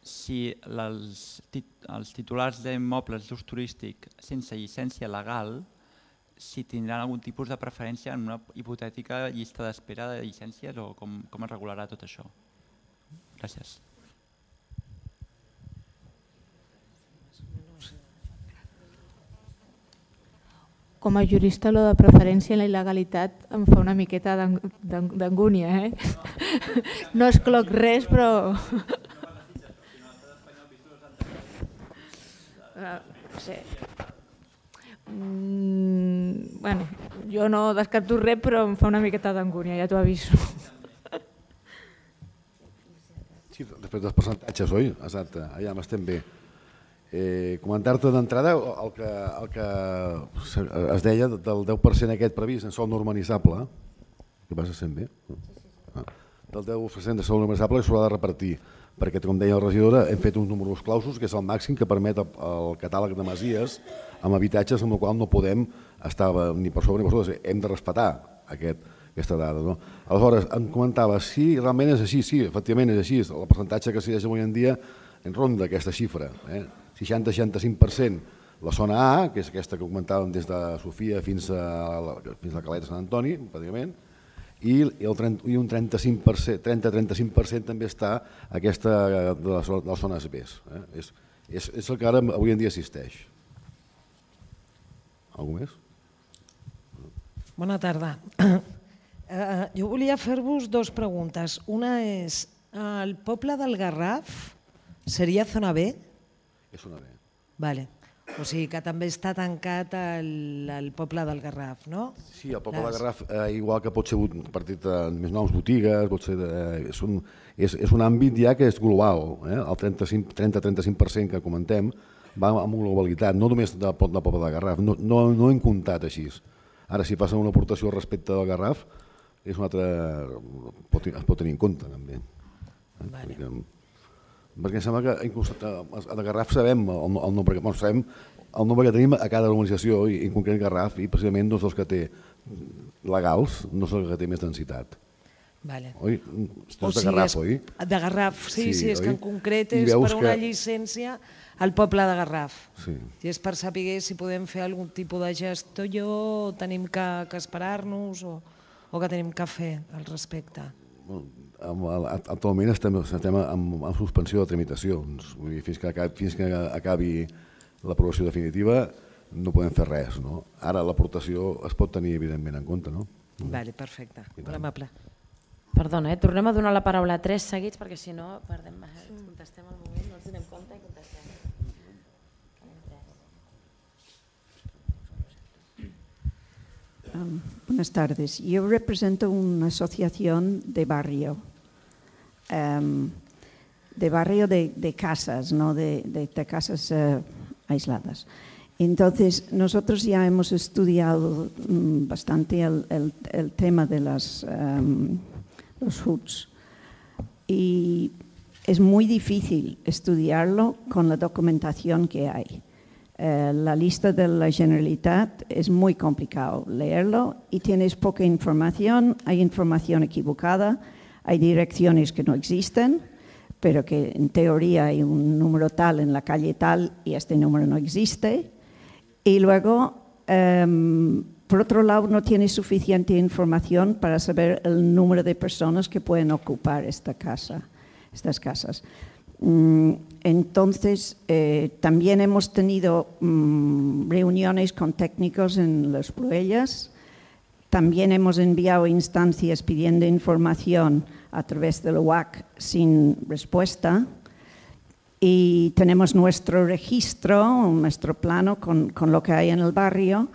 si els titulars d'immobles d'ús turístic sense llicència legal si tindran algun tipus de preferència en una hipotètica llista d'espera de llicències o com es regularà tot això. Gràcies. Com a jurista, lo de preferència i la il·legalitat em fa una miqueta d'angúnia. No excloc res, però... No sé. Bueno, jo no descarto res, però em fa una miqueta d'angúnia, ja t'ho aviso. Sí, després dels percentatges, oi? Exacte, allà m'estem bé. Comentar-te d'entrada el que es deia del 10% aquest previst en sòl normalitzable, que vas sent bé? Del 10% de sòl normalitzable que s'haurà de repartir, perquè com deia la regidora hem fet uns números clausos que és el màxim que permet el catàleg de masies amb habitatges amb el qual no podem estar ni per sobre ni per sota, hem de respectar aquesta dada. Aleshores, em comentava, si realment és així, sí, efectivament és així, el percentatge que s'hi deixa avui en dia en ronda aquesta xifra, 60-65% la zona A, que és aquesta que comentàvem des de Sofia fins a la Caleta Sant Antoni, pràcticament, i un 30-35% també està aquesta de les zones B. És el que ara avui en dia existeix. Algú més? Bona tarda. Jo volia fer-vos dues preguntes. Una és, el poble del Garraf seria zona B? És zona B. Vale. O sigui que també està tancat el poble del Garraf, no? Sí, el poble del Garraf, igual que pot ser partit de més noves botigues, és un àmbit ja que és global. El 30-35% que comentem va amb globalitat, no només del poble del Garraf, no hem comptat així. Ara, si passa una aportació respecte del Garraf, es pot tenir en compte també. Perquè em sembla que inclús a Garraf sabem el nombre que tenim a cada urbanització, i en concret Garraf, i precisament dels que té legals no és el que té més densitat. Vale. Oi? Estàs de Garraf, oi? De Garraf, sí, és que en concret I és veus per una que- llicència al poble de Garraf. Sí. I és per saber si podem fer algun tipus de gestió o tenim que esperar-nos o que tenim que fer al respecte. Actualment estem en suspensió de tramitacions. Vull dir, fins que acabi l'aprovació definitiva no podem fer res. No? Ara l'aportació es pot tenir evidentment en compte. No? Vale, perfecte. Molt amable. Perdona, tornem a donar la paraula a 3 seguits perquè si no contestem al moment, no ens donem compte i contestem. Buenas tardes. Yo represento una asociación de barrio, de casas, no de casas aisladas. Entonces, nosotros ya hemos estudiado bastante el tema de los HUDs y es muy difícil estudiarlo con la documentación que hay. La lista de la Generalitat es muy complicado leerlo y tienes poca información, hay información equivocada, hay direcciones que no existen, pero que en teoría hay un número tal en la calle tal y este número no existe. Y luego, por otro lado, no tienes suficiente información para saber el número de personas que pueden ocupar estas casas. Entonces, también hemos tenido reuniones con técnicos en las Proellas, también hemos enviado instancias pidiendo información a través del UAC sin respuesta y tenemos nuestro registro, nuestro plano con lo que hay en el barrio,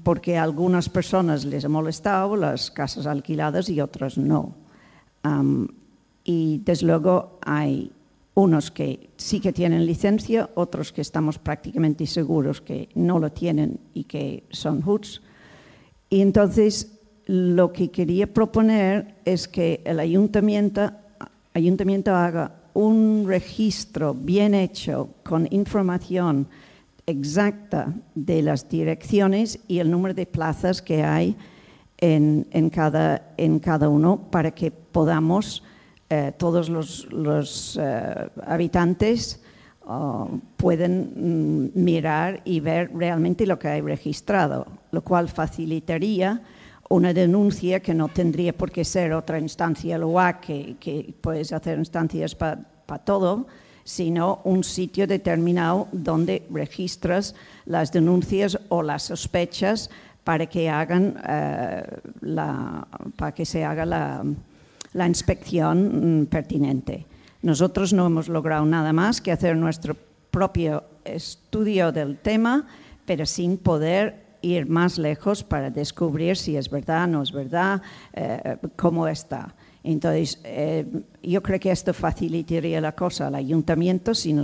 porque a algunas personas les ha molestado las casas alquiladas y otras no. Y desde luego hay unos que sí que tienen licencia, otros que estamos prácticamente seguros que no lo tienen y que son HUDs. Y entonces lo que quería proponer es que el ayuntamiento haga un registro bien hecho con información exacta de las direcciones y el número de plazas que hay en cada uno para que podamos todos los habitantes pueden mirar y ver realmente lo que hay registrado, lo cual facilitaría una denuncia que no tendría por qué ser otra instancia, el UAC, que puedes hacer instancias para todo, sino un sitio determinado donde registras las denuncias o las sospechas para que se haga la inspección pertinente. Nosotros no hemos logrado nada más que hacer nuestro propio estudio del tema, pero sin poder ir más lejos para descubrir si es verdad, no es verdad, cómo está. Entonces, yo creo que esto facilitaría la cosa al ayuntamiento si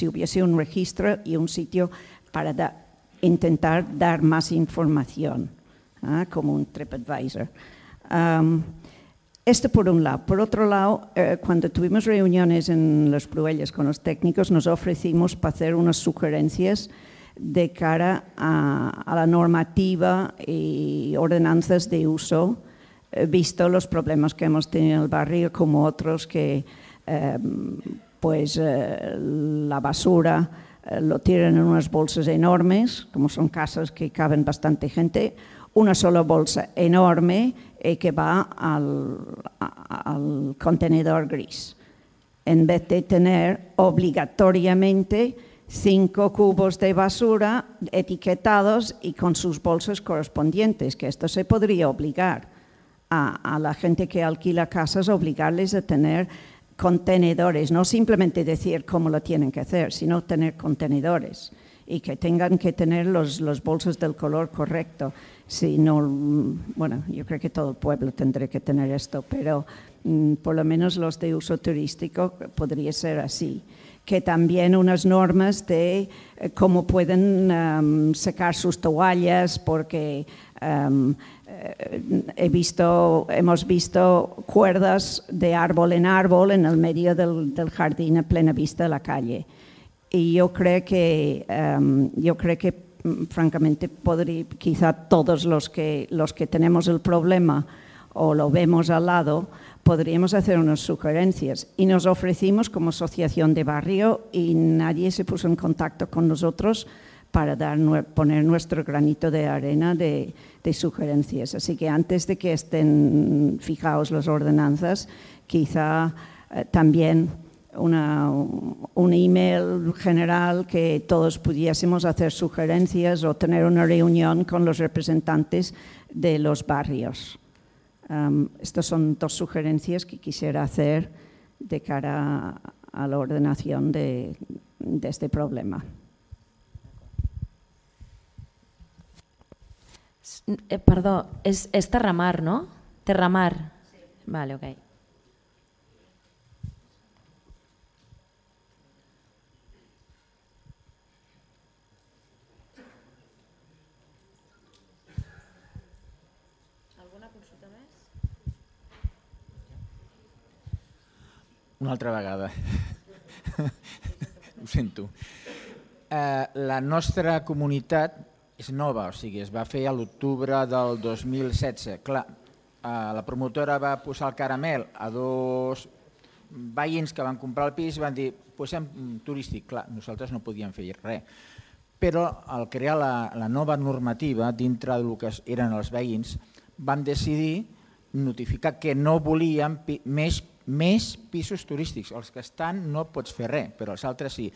hubiese un registro y un sitio para intentar dar más información, como un TripAdvisor. Esto por un lado. Por otro lado, cuando tuvimos reuniones en las Proellas con los técnicos, nos ofrecimos para hacer unas sugerencias de cara a la normativa y ordenanzas de uso, visto los problemas que hemos tenido en el barrio, como otros que la basura lo tiran en unas bolsas enormes, como son casas que caben bastante gente, una sola bolsa enorme que va al contenedor gris, en vez de tener obligatoriamente 5 cubos de basura etiquetados y con sus bolsas correspondientes, que esto se podría obligar a la gente que alquila casas, obligarles a tener contenedores, no simplemente decir cómo lo tienen que hacer, sino tener contenedores y que tengan que tener los bolsos del color correcto. Si no, bueno, yo creo que todo el pueblo tendrá que tener esto, pero por lo menos los de uso turístico podría ser así. Que también unas normas de cómo pueden secar sus toallas, porque hemos visto cuerdas de árbol en árbol en el medio del jardín a plena vista de la calle. Y yo creo que francamente quizá todos los que tenemos el problema o lo vemos al lado, podríamos hacer unas sugerencias. Y nos ofrecimos como asociación de barrio y nadie se puso en contacto con nosotros para poner nuestro granito de arena de sugerencias. Así que antes de que estén fijaos las ordenanzas, quizá también un email general que todos pudiésemos hacer sugerencias o tener una reunión con los representantes de los barrios. Estas son dos sugerencias que quisiera hacer de cara a la ordenación de este problema. Perdó, és Terramar, no? Terramar. Vale, ok. Alguna consulta més? Una altra vegada. Ho sento. La nostra comunitat és nova, o sigui, es va fer a l'octubre del 2016. Clar, la promotora va posar el caramel a 2 veïns que van comprar el pis i van dir, posem turístic. Clar, nosaltres no podíem fer res. Però al crear la nova normativa dintre del que eren els veïns, vam decidir notificar que no volíem més pisos turístics. Els que estan no pots fer res, però els altres sí.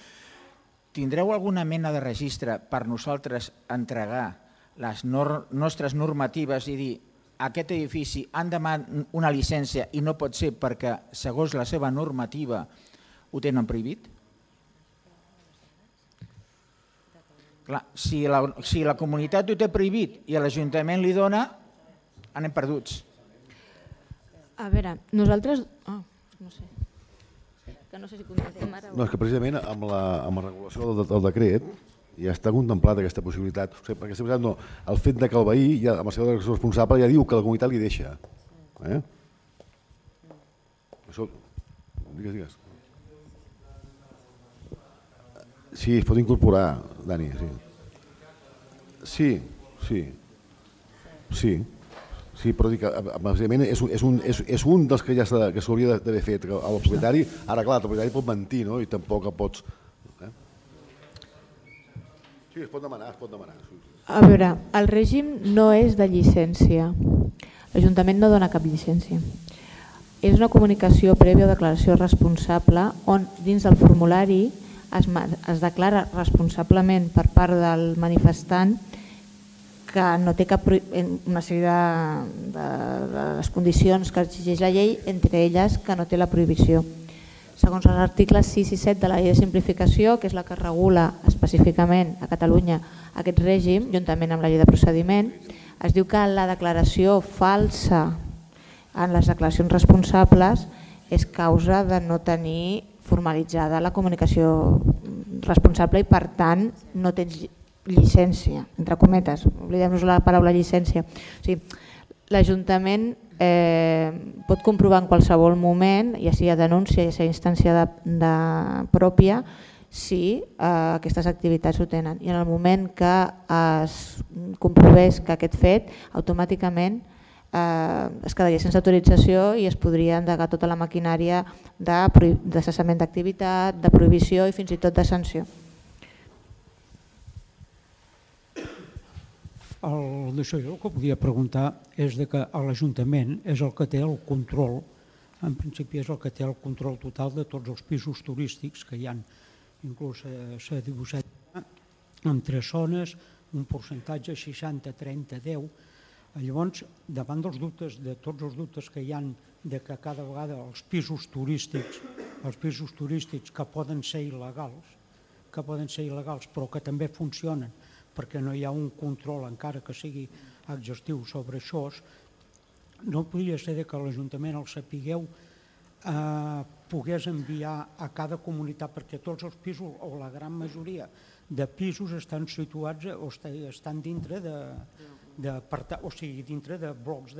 Tindreu alguna mena de registre per nosaltres entregar les nostres normatives i dir aquest edifici han demanat una llicència i no pot ser perquè segons la seva normativa ho tenen prohibit? Clar, si la comunitat ho té prohibit i l'Ajuntament li dona, anem perduts. A veure, nosaltres... no sé. Que no sé si contestem ara. No, és que precisament amb la regulació del decret ja està contemplat aquesta possibilitat. Perquè el fet que el veí, amb la seva declaració responsable, ja diu que la comunitat li deixa. Això... Digues. Sí, es pot incorporar, Dani. Sí. Sí, però dic que bàsicament és un dels que ja s'hauria d'haver fet al propietari. Ara, clar, el propietari pot mentir, no? I tampoc pots... Sí, es pot demanar. A veure, el règim no és de llicència. L'Ajuntament no dona cap llicència. És una comunicació prèvia o declaració responsable on dins del formulari es declara responsablement per part del manifestant que no té una sèrie de les condicions que exigeix la llei, entre elles que no té la prohibició. Segons els articles 6 i 7 de la llei de simplificació, que és la que regula específicament a Catalunya aquest règim, juntament amb la llei de procediment, es diu que la declaració falsa en les declaracions responsables és causa de no tenir formalitzada la comunicació responsable i per tant no tens llicència, entre cometes, oblidem-nos la paraula llicència. O sigui, l'Ajuntament pot comprovar en qualsevol moment, ja sigui a denúncia, ja sigui a instància pròpia, si aquestes activitats ho tenen. I en el moment que es comprovés que aquest fet, automàticament es quedaria sense autorització i es podria endegar tota la maquinària de cessament d'activitat, de prohibició i fins i tot de sanció. D'això jo el que volia preguntar és que l'Ajuntament és el que té el control, en principi és el que té el control total de tots els pisos turístics que hi ha, inclús s'ha dibuixat en 3 zones, un percentatge 60-30-10. Llavors, davant dels dubtes, de tots els dubtes que hi ha de que cada vegada els pisos turístics que poden ser il·legals, però que també funcionen perquè no hi ha un control encara que sigui exhaustiu sobre això, no podria ser que l'Ajuntament, el sapigueu, pogués enviar a cada comunitat, perquè tots els pisos, o la gran majoria de pisos estan situats o estan dintre dintre de blocs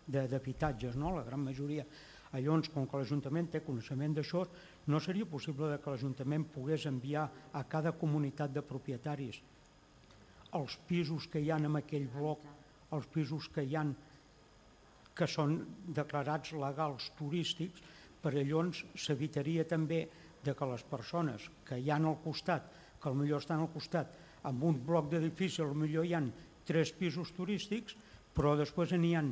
d'habitatges, la gran majoria. Llavors, com que l'Ajuntament té coneixement d'això, no seria possible que l'Ajuntament pogués enviar a cada comunitat de propietaris els pisos que hi ha en aquell bloc, els pisos que hi ha que són declarats legals turístics, per llavors s'evitaria també que les persones que hi ha al costat, que potser estan al costat, amb un bloc d'edifici potser hi ha 3 pisos turístics, però després n'hi ha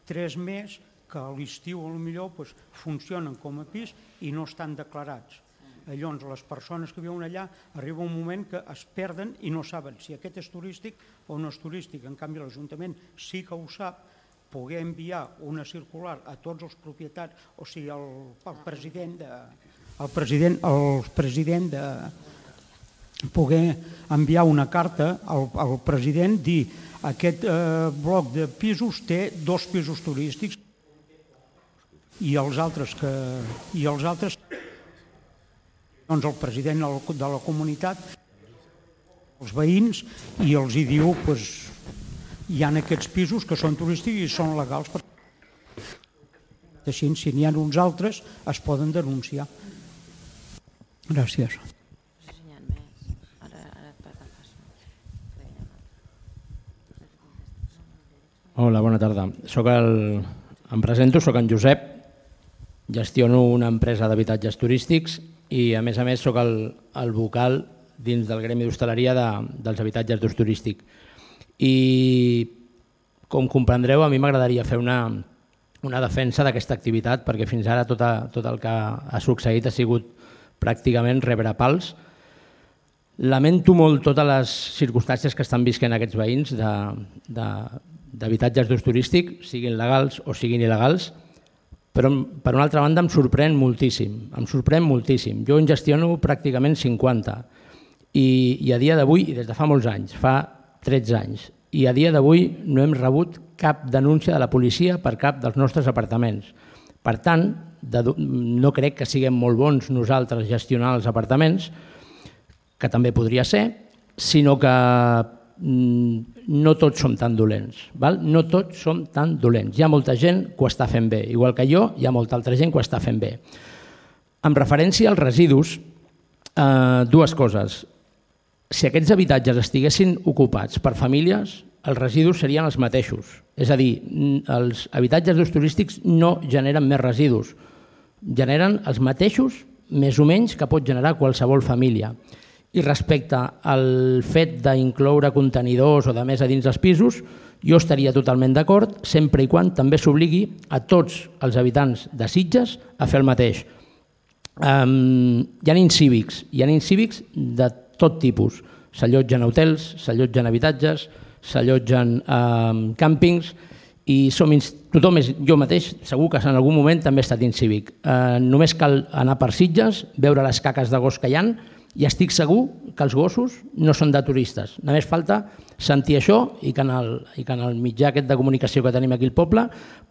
3 més que a l'estiu potser funcionen com a pis i no estan declarats. Llavors, les persones que viuen allà arriba un moment que es perden i no saben si aquest és turístic o no és turístic. En canvi, l'Ajuntament sí que ho sap, poder enviar una circular a tots els propietaris, o sigui, el president de poder enviar una carta al president, dir aquest bloc de pisos té 2 pisos turístics i els altres doncs el president de la comunitat, els veïns, i els hi diu hi ha aquests pisos que són turístics i són legals. Així, si n'hi ha uns altres, es poden denunciar. Gràcies. Hola, bona tarda. Em presento, soc en Josep, gestiono una empresa d'habitatges turístics i a més soc el vocal dins del gremi d'hostaleria dels habitatges d'ús turístic. I com comprendreu, a mi m'agradaria fer una defensa d'aquesta activitat, perquè fins ara tot el que ha succeït ha sigut pràcticament rebre pals. Lamento molt totes les circumstàncies que estan visquent aquests veïns d'habitatges d'ús turístic, siguin legals o siguin il·legals, però per una altra banda em sorprèn moltíssim. Jo en gestiono pràcticament 50 i a dia d'avui, i des de fa molts anys, fa 13 anys, i a dia d'avui no hem rebut cap denúncia de la policia per cap dels nostres apartaments. Per tant, no crec que siguem molt bons nosaltres gestionar els apartaments, que també podria ser, sinó que no tots som tan dolents. No tots som tan dolents. Hi ha molta gent que ho està fent bé. Igual que jo, hi ha molta altra gent que ho està fent bé. En referència als residus, 2 coses. Si aquests habitatges estiguessin ocupats per famílies, els residus serien els mateixos. És a dir, els habitatges d'ús turístics no generen més residus. Generen els mateixos, més o menys, que pot generar qualsevol família. I respecte al fet d'incloure contenidors o de més a dins els pisos, jo estaria totalment d'acord, sempre i quan també s'obligui a tots els habitants de Sitges a fer el mateix. Hi ha incívics de tot tipus. S'allotgen a hotels, s'allotgen a habitatges, s'allotgen a càmpings i tothom, jo mateix, segur que en algun moment també he estat incívic. Només cal anar per Sitges, veure les caques de gos que hi ha, i estic segur que els gossos no són de turistes. Només falta sentir això i que en el mitjà aquest de comunicació que tenim aquí al poble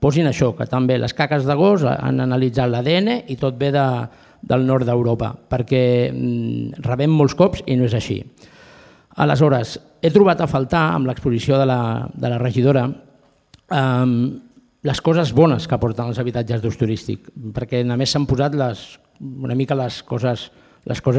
posin això, que també les caques de gos han analitzat l'ADN i tot ve del nord d'Europa, perquè rebem molts cops i no és així. Aleshores, he trobat a faltar, amb l'exposició de la regidora, les coses bones que aporten els habitatges d'ús turístic, perquè només s'han posat una mica les coses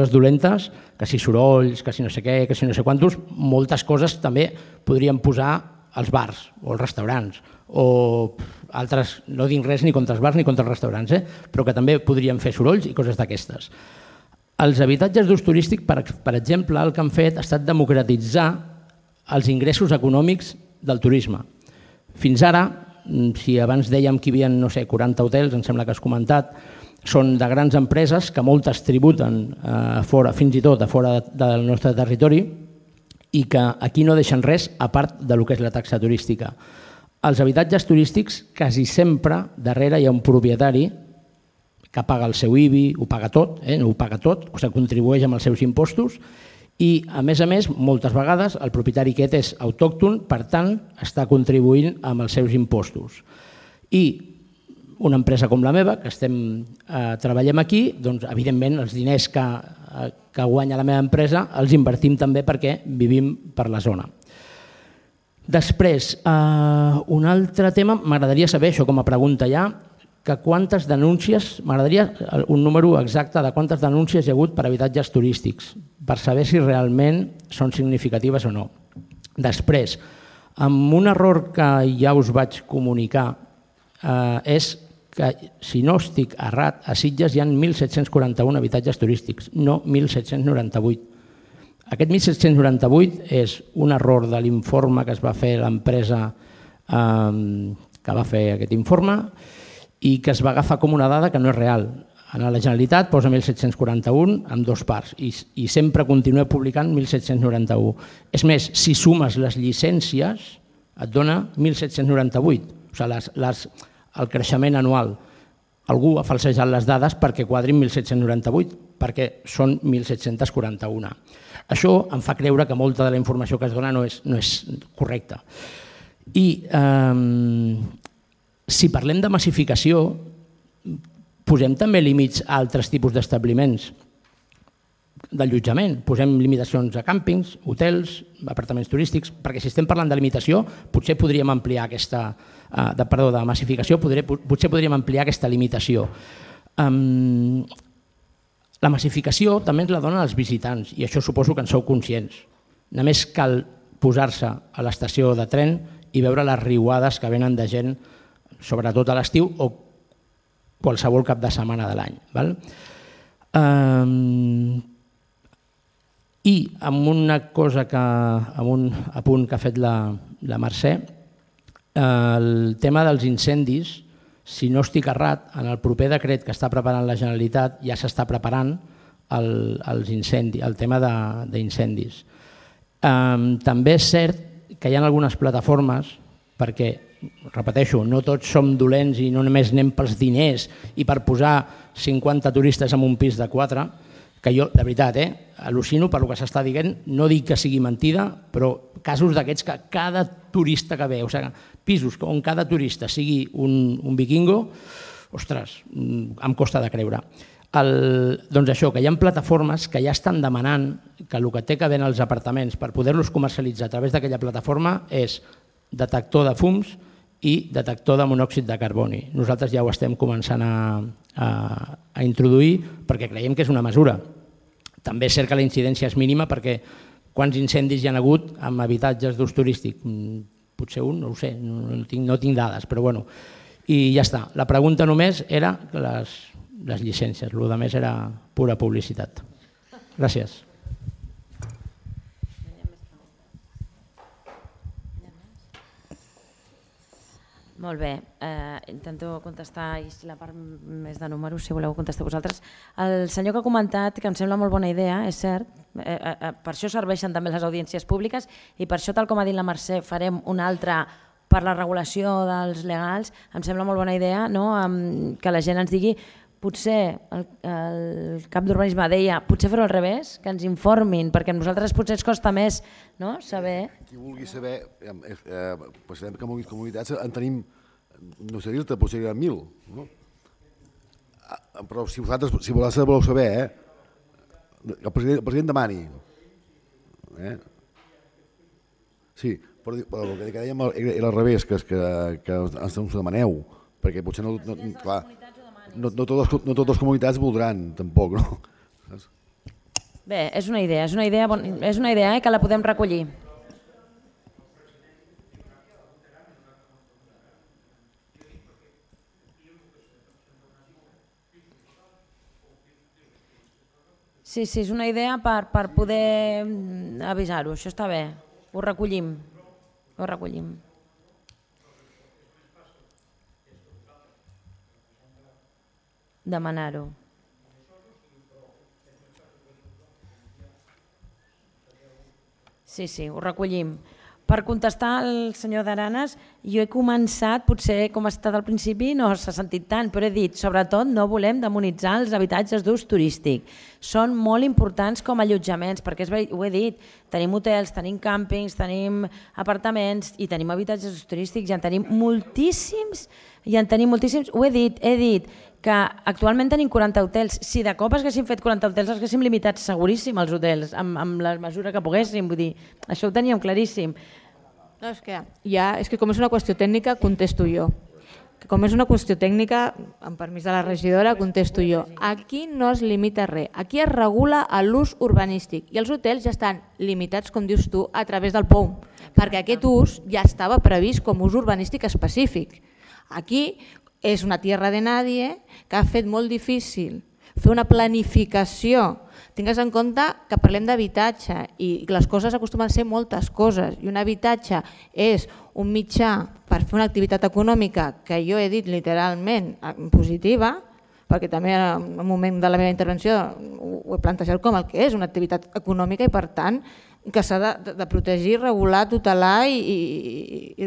dolentes, que si sorolls, que si no sé què, que si no sé quantos, moltes coses també podríem posar als bars o als restaurants, o altres, no dic res ni contra els bars ni contra els restaurants, però que també podríem fer sorolls i coses d'aquestes. Els habitatges d'ús turístic, per exemple, el que han fet ha estat democratitzar els ingressos econòmics del turisme. Fins ara, si abans dèiem que hi havia, 40 hotels, em sembla que has comentat, són de grans empreses que moltes tributen fins i tot a fora del nostre territori i que aquí no deixen res a part del que és la taxa turística. Els habitatges turístics, quasi sempre, darrere hi ha un propietari que paga el seu IBI, ho paga tot, no ho paga tot, o sigui, contribueix amb els seus impostos i, a més, moltes vegades el propietari aquest és autòcton, per tant, està contribuint amb els seus impostos. I una empresa com la meva, que treballem aquí, doncs, evidentment, els diners que guanya la meva empresa els invertim també perquè vivim per la zona. Després, un altre tema, m'agradaria saber, això com a pregunta ja, que quantes denúncies, m'agradaria un número exacte de quantes denúncies hi ha hagut per habitatges turístics, per saber si realment són significatives o no. Després, amb un error que ja us vaig comunicar és que, si no estic errat, a Sitges hi ha 1.741 habitatges turístics, no 1.798. Aquest 1.798 és un error de l'informe que es va fer l'empresa que va fer aquest informe i que es va agafar com una dada que no és real. A la Generalitat posa 1.741 amb 2 parts i sempre continua publicant 1.791. És més, si sumes les llicències et dona 1.798, o sigui, el creixement anual. Algú ha falsejat les dades perquè quadrin 1.798, perquè són 1.741. Això em fa creure que molta de la informació que es dona no és correcta. I si parlem de massificació, posem també límits a altres tipus d'establiments d'allotjament. Posem limitacions a càmpings, hotels, apartaments turístics, perquè si estem parlant de limitació, potser podríem ampliar aquesta... de massificació, potser podríem ampliar aquesta limitació. La massificació també ens la donen els visitants i això suposo que en sou conscients. Només cal posar-se a l'estació de tren i veure les riuades que venen de gent, sobretot a l'estiu o qualsevol cap de setmana de l'any. I amb una cosa, amb un apunt que ha fet la Mercè, el tema dels incendis, si no estic errat, en el proper decret que està preparant la Generalitat ja s'està preparant el tema d'incendis. També és cert que hi ha algunes plataformes, perquè, repeteixo, no tots som dolents i no només anem pels diners i per posar 50 turistes en un pis de 4, que jo, de veritat, al·lucino per el que s'està dient, no dic que sigui mentida, però casos d'aquests que cada turista que ve, o sigui, pisos on cada turista sigui un vikingo, ostres, em costa de creure. Doncs això, que hi ha plataformes que ja estan demanant que el que té que haver als apartaments per poder-los comercialitzar a través d'aquella plataforma és detector de fums i detector de monòxid de carboni. Nosaltres ja ho estem començant a introduir perquè creiem que és una mesura. També és cert que la incidència és mínima perquè quants incendis hi ha hagut amb habitatges d'ús turístic? Potser un, no ho sé, no tinc dades, però bueno. I ja està. La pregunta només era les llicències, el que més era pura publicitat. Gràcies. Molt bé, intento contestar i la part més de números, si voleu contestar vosaltres. El senyor que ha comentat, que em sembla molt bona idea, és cert, per això serveixen també les audiències públiques i per això, tal com ha dit la Mercè, farem una altra per la regulació dels legals. Em sembla molt bona idea que la gent ens digui, potser el cap d'urbanisme deia, potser fer-ho al revés, que ens informin, perquè a nosaltres potser ens costa més saber... Qui vulgui saber, sabem que en comunitats en tenim, no sé dir-te, potser hi ha 1.000, però si voleu saber, el president demani. Sí, però el que dèiem era al revés, que ens ho demaneu, perquè potser no... Clar, no totes les comunitats voldran, tampoc, no? Bé, és una idea que la podem recollir. Sí, és una idea per poder avisar-ho, això està bé, ho recollim. Demanar-ho. Sí, ho recollim. Per contestar al senyor d'Aranes, jo he començat, potser com ha estat al principi no s'ha sentit tant, però he dit, sobretot no volem demonitzar els habitatges d'ús turístic. Són molt importants com a allotjaments, perquè ho he dit, tenim hotels, tenim càmpings, tenim apartaments i tenim habitatges d'ús turístics i en tenim moltíssims, ho he dit, que actualment tenim 40 hotels. Si de cop haguéssim fet 40 hotels, haguéssim limitat seguríssim els hotels, amb la mesura que poguéssim, vull dir, això ho teníem claríssim. No, és que com és una qüestió tècnica, contesto jo. Com és una qüestió tècnica, amb permís de la regidora, contesto jo. Aquí no es limita res, aquí es regula l'ús urbanístic i els hotels ja estan limitats, com dius tu, a través del POUM, perquè aquest ús ja estava previst com ús urbanístic específic. Aquí és una tierra de nadie que ha fet molt difícil fer una planificació. Tingues en compte que parlem d'habitatge i les coses acostumen a ser moltes coses i un habitatge és un mitjà per fer una activitat econòmica que jo he dit literalment positiva, perquè també en el moment de la meva intervenció ho he plantejat com el que és una activitat econòmica i per tant que s'ha de protegir, regular, tutelar i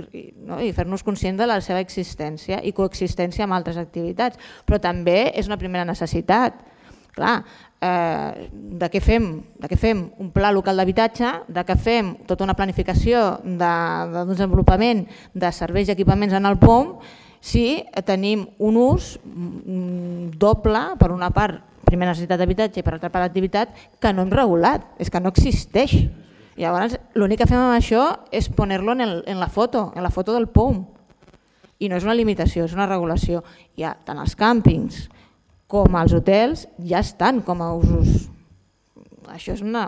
fer-nos conscients de la seva existència i coexistència amb altres activitats. Però també és una primera necessitat. Clar, de què fem un pla local d'habitatge, de què fem tota una planificació de desenvolupament de serveis i equipaments en el POM si tenim un ús doble, per una part primera necessitat d'habitatge i per altra part d'activitat, que no hem regulat, és que no existeix. Llavors l'únic que fem amb això és poner-lo en la foto del POM i no és una limitació, és una regulació. Ja tant els càmpings com els hotels ja estan com a usos. Això és una...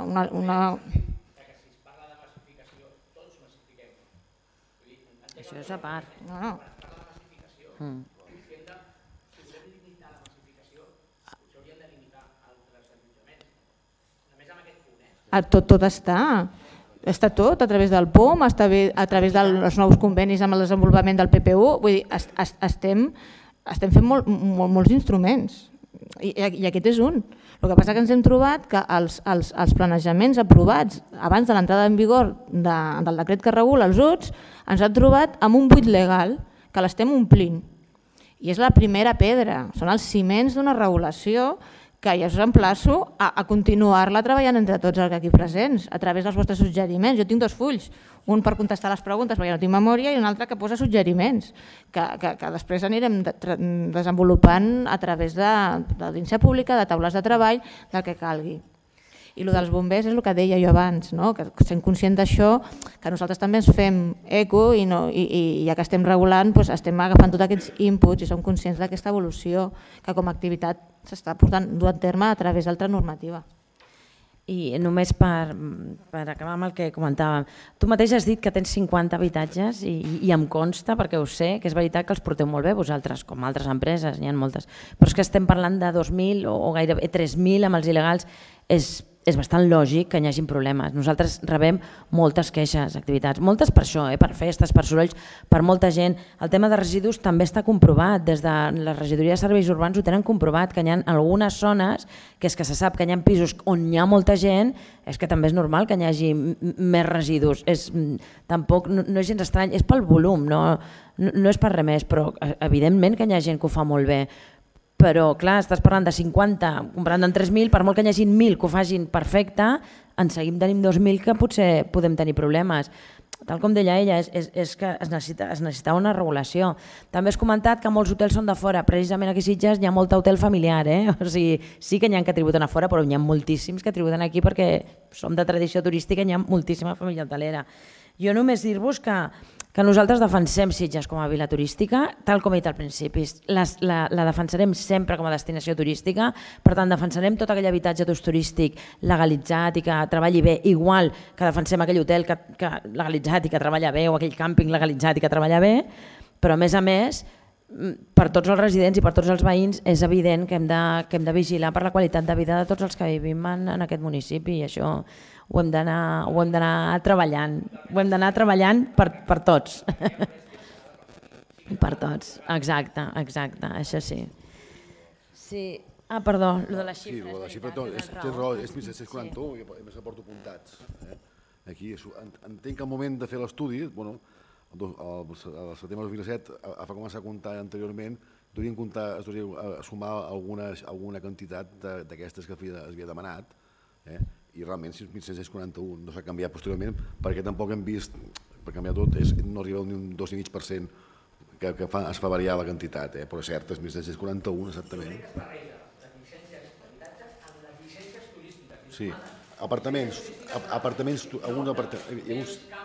Això és a part. No. Tot està. Està tot a través del POM, a través dels nous convenis amb el desenvolupament del PPU. Vull dir, estem fent molts instruments. I aquest és un. El que passa que ens hem trobat que els planejaments aprovats abans de l'entrada en vigor del decret que regula els UTS ens han trobat amb un buit legal que l'estem omplint. I és la primera pedra, són els ciments d'una regulació que ja us emplaço a continuar-la treballant entre tots els aquí presents a través dels vostres suggeriments. Jo tinc 2 fulls, un per contestar les preguntes perquè no tinc memòria i un altre que posa suggeriments que després anirem desenvolupant a través d'audiència pública, de taules de treball, del que calgui. I el dels bombers és el que deia jo abans, que sent conscient d'això, que nosaltres també ens fem eco i ja que estem regulant estem agafant tots aquests inputs i som conscients d'aquesta evolució que com a activitat s'està duent a terme a través d'altra normativa. I només per acabar amb el que comentàvem, tu mateix has dit que tens 50 habitatges i em consta, perquè ho sé, que és veritat que els porteu molt bé vosaltres, com altres empreses, n'hi ha moltes, però és que estem parlant de 2.000 o gairebé 3.000 amb els il·legals, és bastant lògic que hi hagi problemes. Nosaltres rebem moltes queixes, activitats, moltes per això, per festes, per sorolls, per molta gent. El tema de residus també està comprovat, des de la regidoria de serveis urbans ho tenen comprovat, que hi ha algunes zones que és que se sap que hi ha pisos on hi ha molta gent, és que també és normal que hi hagi més residus. Tampoc no és gens estrany, és pel volum, no és per res més, però evidentment que hi ha gent que ho fa molt bé. Però, clar, estàs parlant de 50, comparant amb 3.000, per molt que hi hagi 1.000 que ho facin perfecte, en seguim tenim 2.000 que potser podem tenir problemes. Tal com deia ella, és que es necessita una regulació. També has comentat que molts hotels són de fora. Precisament aquí a Sitges hi ha molt hotel familiar. O sigui, sí que n'hi ha que tributen a fora, però n'hi ha moltíssims que tributen aquí perquè som de tradició turística i n'hi ha moltíssima família hotelera. Jo només dir-vos que nosaltres defensem Sitges com a vila turística, tal com he dit al principi. La defensarem sempre com a destinació turística, per tant defensarem tot aquell habitatge d'ús turístic legalitzat i que treballi bé, igual que defensem aquell hotel legalitzat i que treballa bé o aquell càmping legalitzat i que treballa bé, però a més, per tots els residents i per tots els veïns és evident que hem de vigilar per la qualitat de vida de tots els que vivim en aquest municipi i això ho hem d'anar treballant. Ho hem d'anar treballant per tots. Per tots, exacte, això sí. Perdó, el de les xifres. Sí, la xifra és 1741 i a més que porto apuntats. Aquí entenc que al moment de fer l'estudi, al setembre de 2017, a començar a comptar anteriorment, es devia sumar alguna quantitat d'aquestes que es havia demanat, i realment 1.641 no s'ha canviat posteriorment perquè tampoc hem vist, per canviar tot, no arriba ni un 2,5% que es fa variar la quantitat, però és cert, és 1.641 exactament. Sí, apartaments,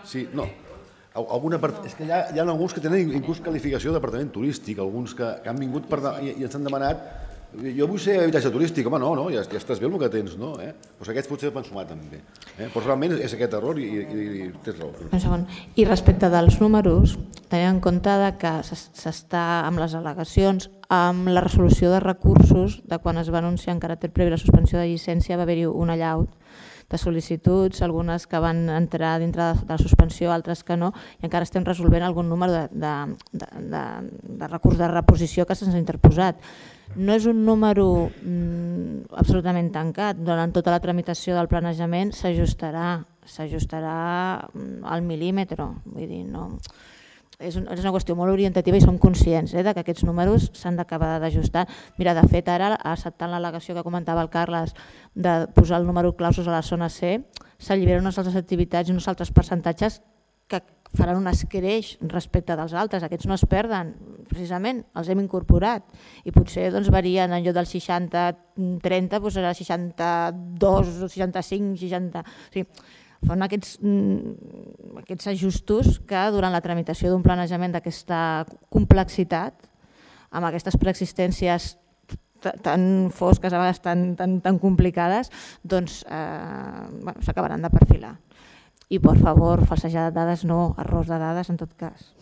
sí, no, és que hi ha alguns que tenen inclús qualificació d'apartament turístic, alguns que han vingut i ens han demanat jo vull ser habitatge turístic, home, no, ja estàs bé el que tens, no? Doncs aquests potser van sumar també. Però realment és aquest error i tens raó. Un segon. I respecte dels números, tenint en compte que s'està amb les al·legacions, amb la resolució de recursos, de quan es va anunciar en caràcter previ la suspensió de llicència, va haver-hi un allaut de sol·licituds, algunes que van entrar dintre de la suspensió, altres que no, i encara estem resolvent algun número de recurs de reposició que se'ns ha interposat. No és un número absolutament tancat. Durant tota la tramitació del planejament s'ajustarà al mil·límetre. Vull dir, no... És una qüestió molt orientativa i som conscients que aquests números s'han d'acabar d'ajustar. Mira, de fet, ara, acceptant l'al·legació que comentava el Carles de posar el número clausos a la zona C, s'alliberen unes altres activitats i uns altres percentatges que faran un escreix respecte dels altres. Aquests no es perden, precisament, els hem incorporat. I potser varien en lloc del 60-30, serà 62, 65, 60... O sigui, fan aquests ajustos que durant la tramitació d'un planejament d'aquesta complexitat, amb aquestes preexistències tan fosques, a vegades tan complicades, doncs s'acabaran de perfilar. I, per favor, falsejar dades no, errors de dades en tot cas.